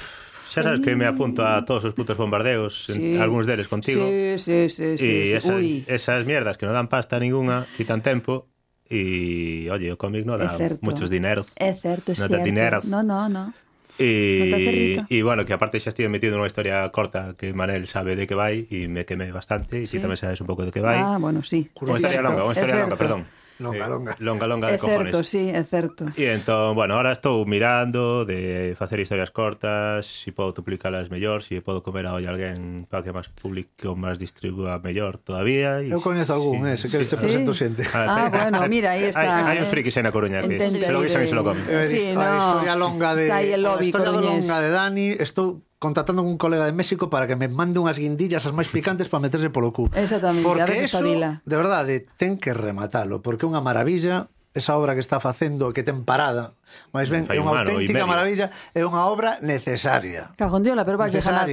xa sabes que me apunto a todos os putos bombardeos, algúns deles contigo. Sí. E esas mierdas que non dan pasta ninguna, quitan tempo. E, oye, o cómic non dá muchos dineros. É certo, é certo. Non dá dineros. No. E bueno, que aparte xa estive metido nunha historia corta que Manel sabe de que vai e me quemé bastante, e ti tamén sabes un pouco de que vai. Bueno, sí. Unha historia longa, perdón. Longa de cojones. É certo. E entón, bueno, ahora estou mirando de facer historias cortas, se podo duplicalas mellor, se podo comer a olla alguén para que máis público máis distribúa mellor todavía. Eu coñezo algún, se queres te presento xente. Bueno, mira, aí está. Hai un friki na Coruña que se lo guisan e se lo comen. A historia longa de Dani, estou contactando con un colega de México para que me mande unhas guindillas as máis picantes para meterse polo cu. Exactamente, porque a ver eso, de verdade, ten que rematalo, porque é unha maravilla esa obra que está facendo, que ten parada, máis ben, é unha auténtica maravilla, é unha obra necesaria. Cajondiola, pero vai ganar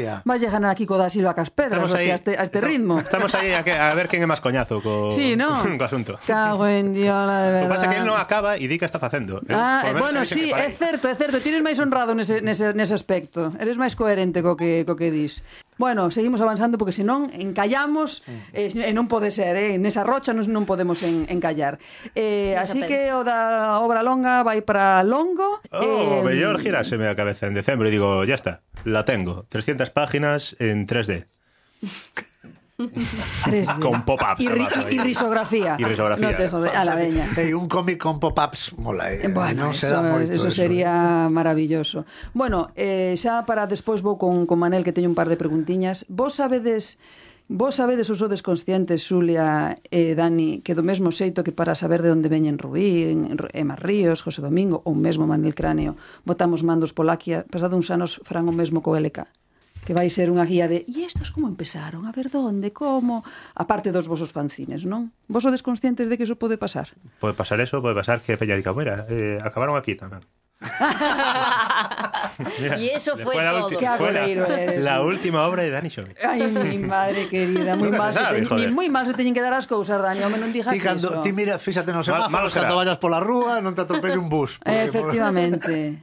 aquí co da Silva Caspedras a este ritmo. Estamos aí a ver quen é máis coñazo co asunto. Cago en diola, de verdade. O que pasa é que él non acaba e di que está facendo. Bueno, sí, é certo, tires máis honrado nese aspecto. Eres máis coherente co que dis. Bueno, seguimos avanzando porque senón encallamos e non pode ser, nesa rocha non podemos encallar. Así que o da obra longa vai para longo. Mellor giráseme a cabeza en decembro e digo, ya está, la tengo. 300 páginas en 3D. 3D. Con pop-ups. Y risografía. No te jode, a la veña. Un cómic con pop-ups mola. Bueno, eso sería maravilloso. Bueno, xa para despois vou con Manel, que teño un par de preguntiñas. Vos sabedes os sodes conscientes, Xulia e Dani, que do mesmo xeito que para saber de onde veñen Rubí, Emma Ríos, José Domingo ou mesmo Manel Cráneo, botamos mandos Polaquia, pasado uns anos farán o mesmo co LK, que vai ser unha guía de e estos como empezaron, a ver onde, como, aparte dos vosos fanzines, non? Vos sodes conscientes de que iso pode pasar? Pode pasar eso, pode pasar que Peña dica, mira, acabaron aquí tamén. Mira, y eso fue todo. La última obra de Dani Xove. Ai, mi madre querida, moi mal se teñen que dar as cousas, Dani, home, non digas iso. Ti mira, fíxate no semáforos, cando vayas pola rúa, non te atropelle un bus. Efectivamente,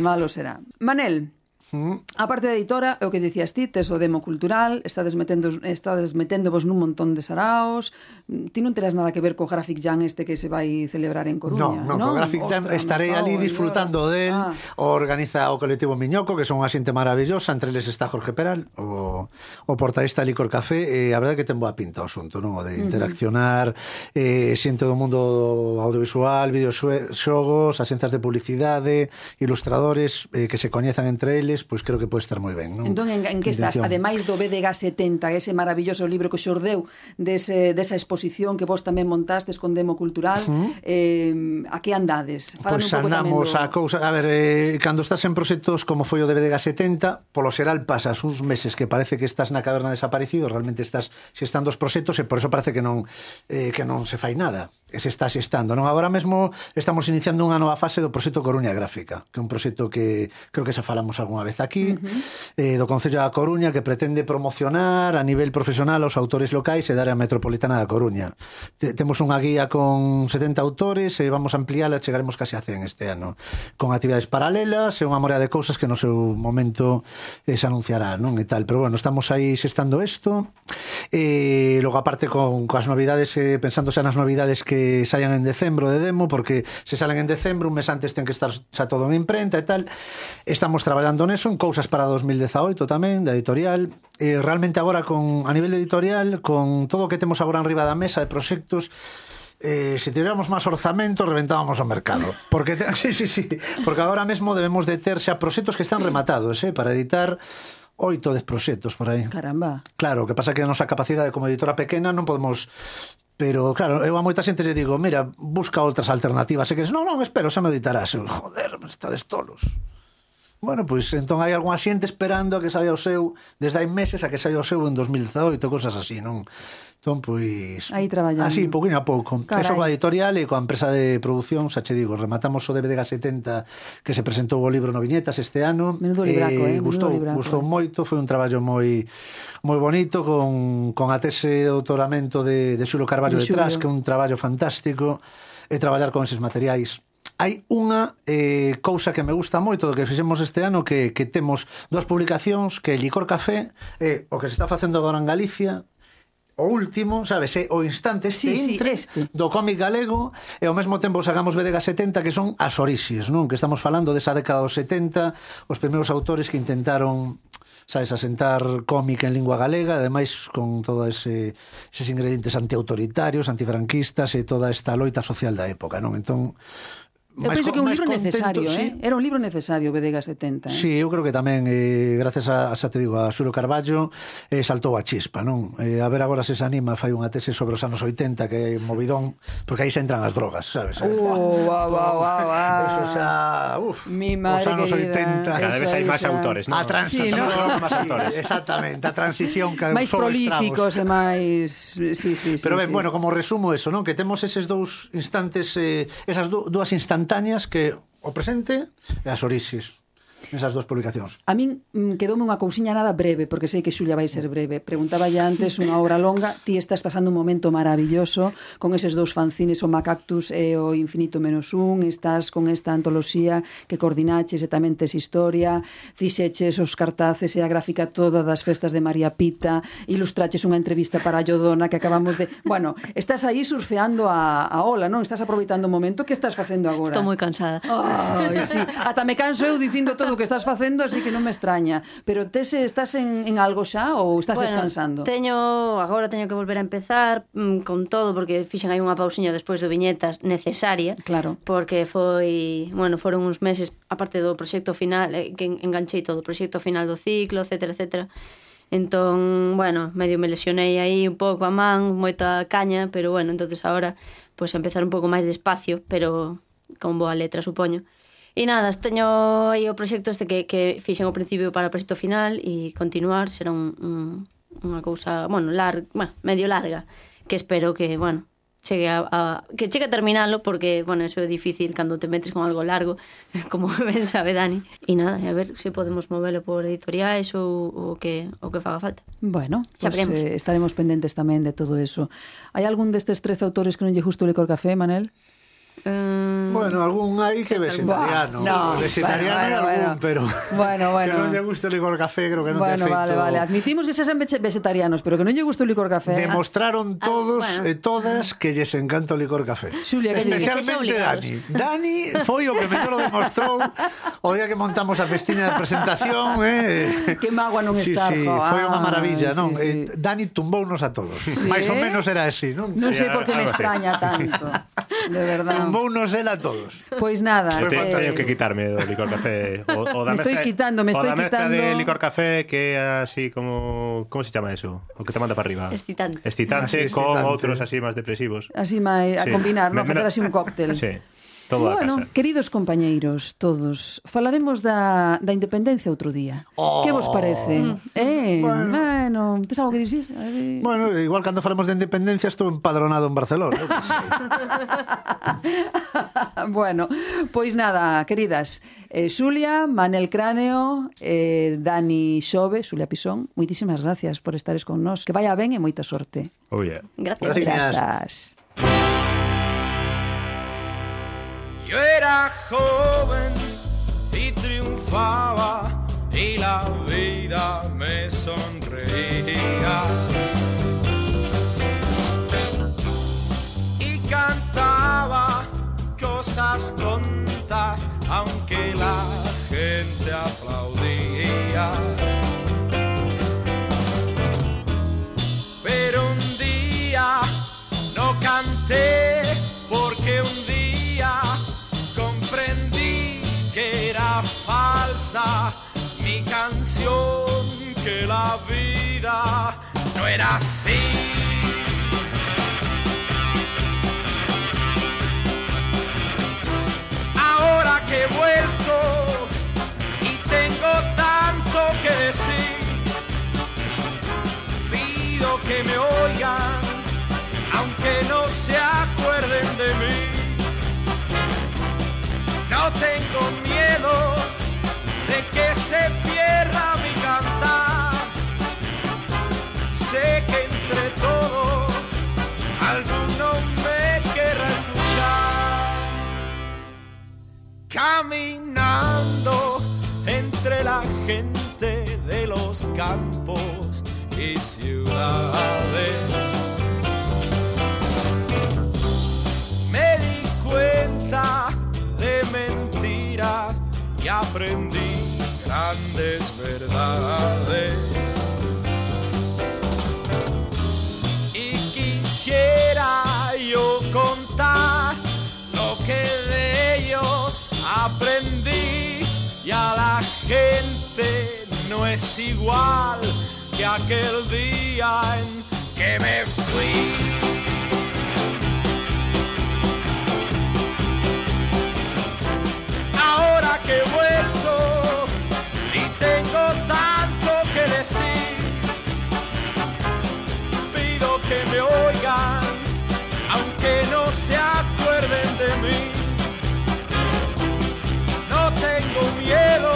malo será. Manel, a parte da editora, o que dicías ti, tes o demo cultural, estades meténdovos nun montón de saraos, ti non terás nada que ver co Graphic Jam este que se vai celebrar en Coruña, non? Co Graphic Jam estarei ali disfrutando del, organiza o colectivo Miñoco, que son unha xente maravillosa, entre eles está Jorge Peral, o portadista de Licor Café, e a verdade que ten boa pinta o asunto, non? O de interaccionar, xente do mundo audiovisual, videoxogos, axencias de publicidade, ilustradores que se coñezan entre eles, pois creo que pode estar moi ben, non? Entón, en que estás? Ademais do BDG 70, ese maravilloso libro que xordeu desa exposición que vos tamén montastes con Demo Cultural, a que andades? Pois andamos a cousa... A ver, cando estás en proxectos como foi o de BDG 70, polo xeral pasas uns meses que parece que estás na caverna desaparecido, realmente estás xestando os proxectos e por eso parece que non se fai nada, que se está xestando, non? Agora mesmo estamos iniciando unha nova fase do proxecto Coruña Gráfica, que é un proxecto que creo que xa falamos algunha vez aquí, do Concello da Coruña, que pretende promocionar a nivel profesional aos autores locais e da área metropolitana da Coruña. Temos unha guía con 70 autores e vamos a ampliála, chegaremos casi a 100 este ano, con actividades paralelas e unha morea de cousas que no seu momento se anunciará, non? E tal, pero bueno, estamos aí xestando isto, e logo aparte con as novidades, pensando xa nas novidades que saian en decembro de Demo, porque se salen en decembro, un mes antes ten que estar xa todo en imprenta e tal. Estamos traballando neso, en cousas para 2018 tamén, da editorial. Realmente agora, a nivel editorial, con todo o que temos agora en riba da mesa de proxectos, se tivéramos máis orzamento, reventábamos o mercado. Porque porque agora mesmo debemos de ter xa proxectos que están rematados, para editar 8 10 proxectos por aí. Caramba. Claro, o que pasa que a nosa capacidade como editora pequena non podemos... Pero, claro, eu a moita xente lle digo, mira, busca outras alternativas. E que non, espero, xa me editarás. Joder, estades tolos. Bueno, pois entón hai algunha xente esperando a que saia o seu desde hai meses a que saia o seu en 2018, cosas así, non? Entón, pois... Aí traballando. Así, pouquinho a pouco. Carai. Eso coa editorial e coa empresa de produción, xa che digo, rematamos o BDG 70 que se presentou o libro no Viñetas este ano. Menudo libraco, Gustou moito, foi un traballo moi bonito, con a tese de doutoramento de Xulo Carballo detrás, que é un traballo fantástico, e traballar con eses materiais. Hai unha cousa que me gusta moito do que fixemos este ano, que temos 2 publicacións, que é Licor Café, o que se está facendo agora en Galicia, o último, sabes, o instante do cómic galego, e ao mesmo tempo sacamos BDG 70, que son as orixes, non? Que estamos falando desa década dos 70, os primeiros autores que intentaron, sabes, asentar cómic en lingua galega, ademais con todos eses ingredientes antiautoritarios, antifranquistas e toda esta loita social da época, non? Entón, eu penso que é un libro necesario, sí. Era un libro necesario, BDG 70. Sí, eu creo que tamén, gracias a Xulo Carballo, saltou a chispa, non? A ver agora se anima, fai unha tese sobre os anos 80, que é movidón, porque aí se entran as drogas, sabes? Eso xa, os anos 80. Cada vez hai máis autores, non? A transición, exactamente, a transición que máis prolíficos e máis... Sí. Pero ben, bueno, como resumo eso, non? Que temos eses dous instantes, esas dúas instantáneas, que o presente e as orixes. nesas dúas publicacións? A min quedoume unha cousiña nada breve, porque sei que Xulia vai ser breve. Preguntaba ya antes unha obra longa, ti estás pasando un momento maravilloso con eses dous fanzines, o Macactus e o Infinito menos un, estás con esta antoloxía que coordinaches e tamén tes historia, fixeches os cartaces e a gráfica toda das festas de María Pita, ilustraches unha entrevista para a Llodona que acabamos de... Bueno, estás aí surfeando a ola, non? Estás aproveitando o momento. Que estás facendo agora? Estou moi cansada. Ai, sí. Ata me canso eu dicindo todo o que estás facendo, así que non me extraña. Pero estás en algo xa ou estás descansando? Agora teño que volver a empezar con todo, porque fixen aí unha pausiña despois do viñetas necesaria. Claro. Porque foron uns meses, aparte do proxecto final, que enganchei todo, o proxecto final do ciclo, etcétera, etcétera. Entón, medio me lesionei aí un pouco a man, moita caña, pero entonces agora pues empezar un pouco máis despacio, pero con boa letra, supoño. E nada, teño aí o proxecto este que fixen ao principio para o proxecto final e continuar, será unha cousa, medio larga, que espero que, chegue a terminalo, porque, eso é difícil cando te metes con algo largo, como ben sabe Dani. E nada, a ver se podemos movelo por editoriais ou o que faga falta. Bueno, pues estaremos pendentes tamén de todo eso. Hai algún destes 13 autores que non lle gusta o Licor Café, Manel? Algún aí que vegetariano. Vegetariano hai algún, pero que non lle gusta o Licor Café, creo que non te feito. Vale. Admitimos que se sean vegetarianos, pero que non lle gusta o Licor Café. Demostraron todos e todas que lles encanta o Licor Café. Xulia, especialmente Dani foi o que mellor o demostrou o día que montamos a festiña de presentación. Que mágoa non estar. Foi unha maravilla, non? Dani tumbounos a todos. Mais ou menos era así, non? Non sei por que me extraña tanto. De verdade. Tumbounos el a todos. Pois nada. Teño que quitarme do Licor Café. Me estoy quitando. O da mezcla de Licor Café, que é así como... Como se chama eso? O que te manda para arriba. Excitante con outros así máis depresivos. Así máis a combinar, non? Facer así un cóctel. Sí. Todo a casa. Queridos compañeiros, todos, falaremos da independencia outro día. Que vos parece? Bueno, tes algo que dicir? Igual cando falamos de independencia estou empadronado en Barcelona. Bueno, pois nada, queridas, Xulia, Manel Cráneo, Dani Xove, Xulia Pisón, moitísimas gracias por estares con nós. Que vaya ben e moita sorte. Oh, yeah. Gracias. Yo era joven y triunfaba y la vida me sonreía y cantaba cosas tontas aunque la gente aplaudía. Pero un día no canté porque un día comprendí que era falsa mi canción, que la vida no era así. Ahora que he vuelto y tengo tanto que decir, pido que me oigan aunque no se acuerden de mí. No tengo miedo de que se pierda mi cantar. Sé que entre todos alguno me querrá escuchar. Caminando entre la gente de los campos y ciudades, me di cuenta de mentiras y aprendí grandes verdades. Y quisiera yo contar lo que de ellos aprendí, y a la gente no es igual que aquel día en que me fui. Ahora que he vuelto y tengo tanto que decir, pido que me oigan aunque no se acuerden de mí. No tengo miedo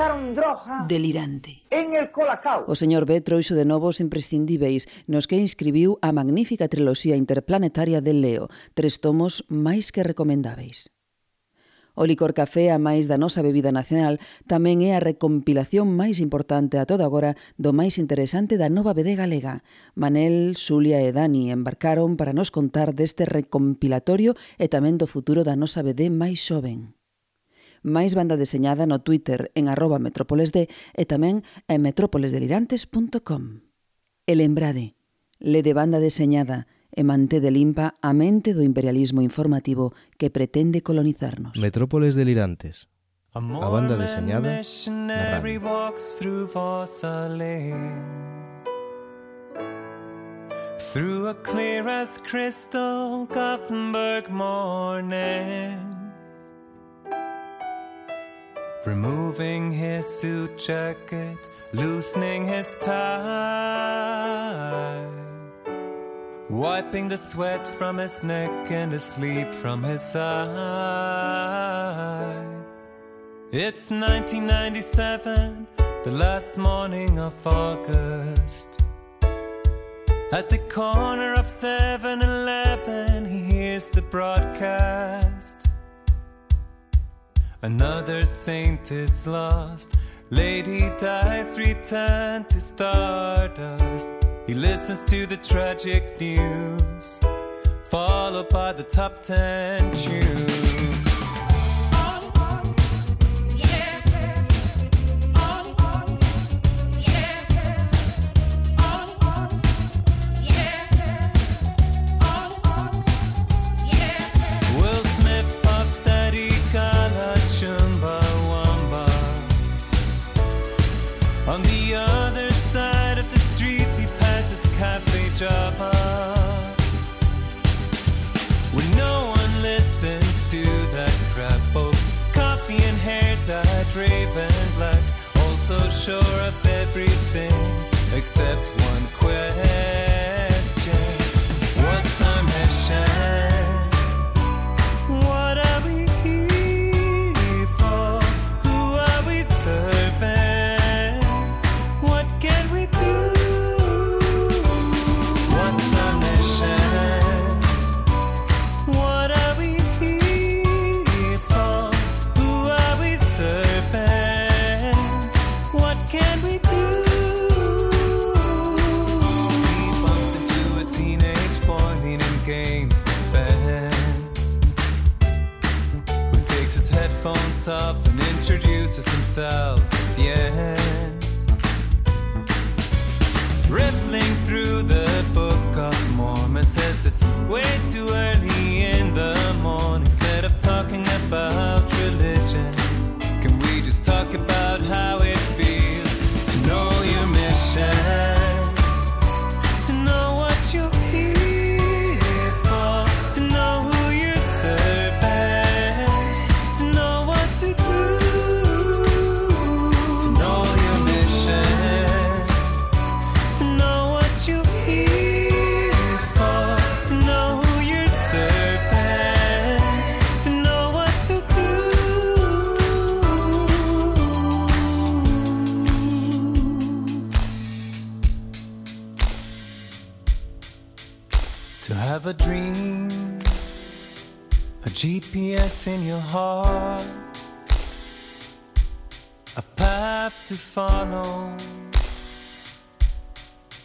usaron droga delirante en el Colacao. O señor B trouxo de novo os imprescindíveis nos que inscribiu a magnífica triloxía interplanetaria de Leo, 3 tomos máis que recomendáveis. O licor café, a máis da nosa bebida nacional, tamén é a recompilación máis importante a todo agora do máis interesante da nova BD galega. Manel, Xulia e Dani embarcaron para nos contar deste recompilatorio e tamén do futuro da nosa BD máis xoven. Máis banda deseñada no Twitter en @metrópolesd e tamén en metrópolesdelirantes.com. E lembrade, lede banda deseñada e mantede limpa a mente do imperialismo informativo que pretende colonizarnos. Metrópoles Delirantes, a banda deseñada na radio. Through a clear as crystal Gothenburg morning, removing his suit jacket, loosening his tie, wiping the sweat from his neck and the sleep from his eye. It's 1997, the last morning of August. At the corner of 7-Eleven, he hears the broadcast. Another saint is lost, lady dies, return to stardust. He listens to the tragic news, followed by the top 10 tunes. Will Smith, Puff Daddy, Gala, Chumbawamba. On the other side of the street, Cafe Java, when no one listens to that crap. Both coffee and hair dyed raven black, also sure of everything except one question: what time has shined? What are we here for? Who are we serving? What can we do? Off and introduces himself as Jens, rippling through the Book of Mormon, says it's way too early in the morning. Instead of talking about religion, can we just talk about how it feels to know your mission, to know what you're here for, to know who you're serving, to know what to do, to know your mission, to know what you're here for, to know who you're serving, to know what to do. To have a dream, a GPS in your heart, a path to follow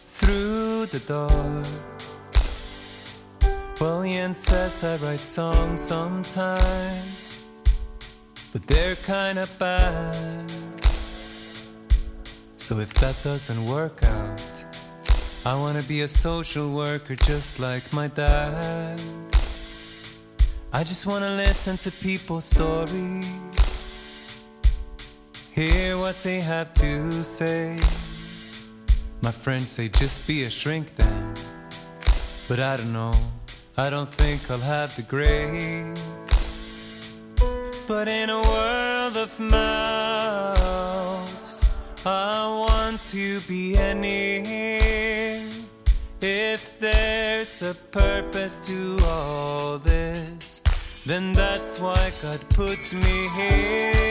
through the dark. Well, Jens says I write songs sometimes, but they're kinda bad. So if that doesn't work out, I wanna be a social worker just like my dad. I just wanna listen to people's stories, hear what they have to say. My friends say just be a shrink then, but I don't know, I don't think I'll have the grace. But in a world of mouths, I want to be any. If there's a purpose to all this, then that's why God put me here.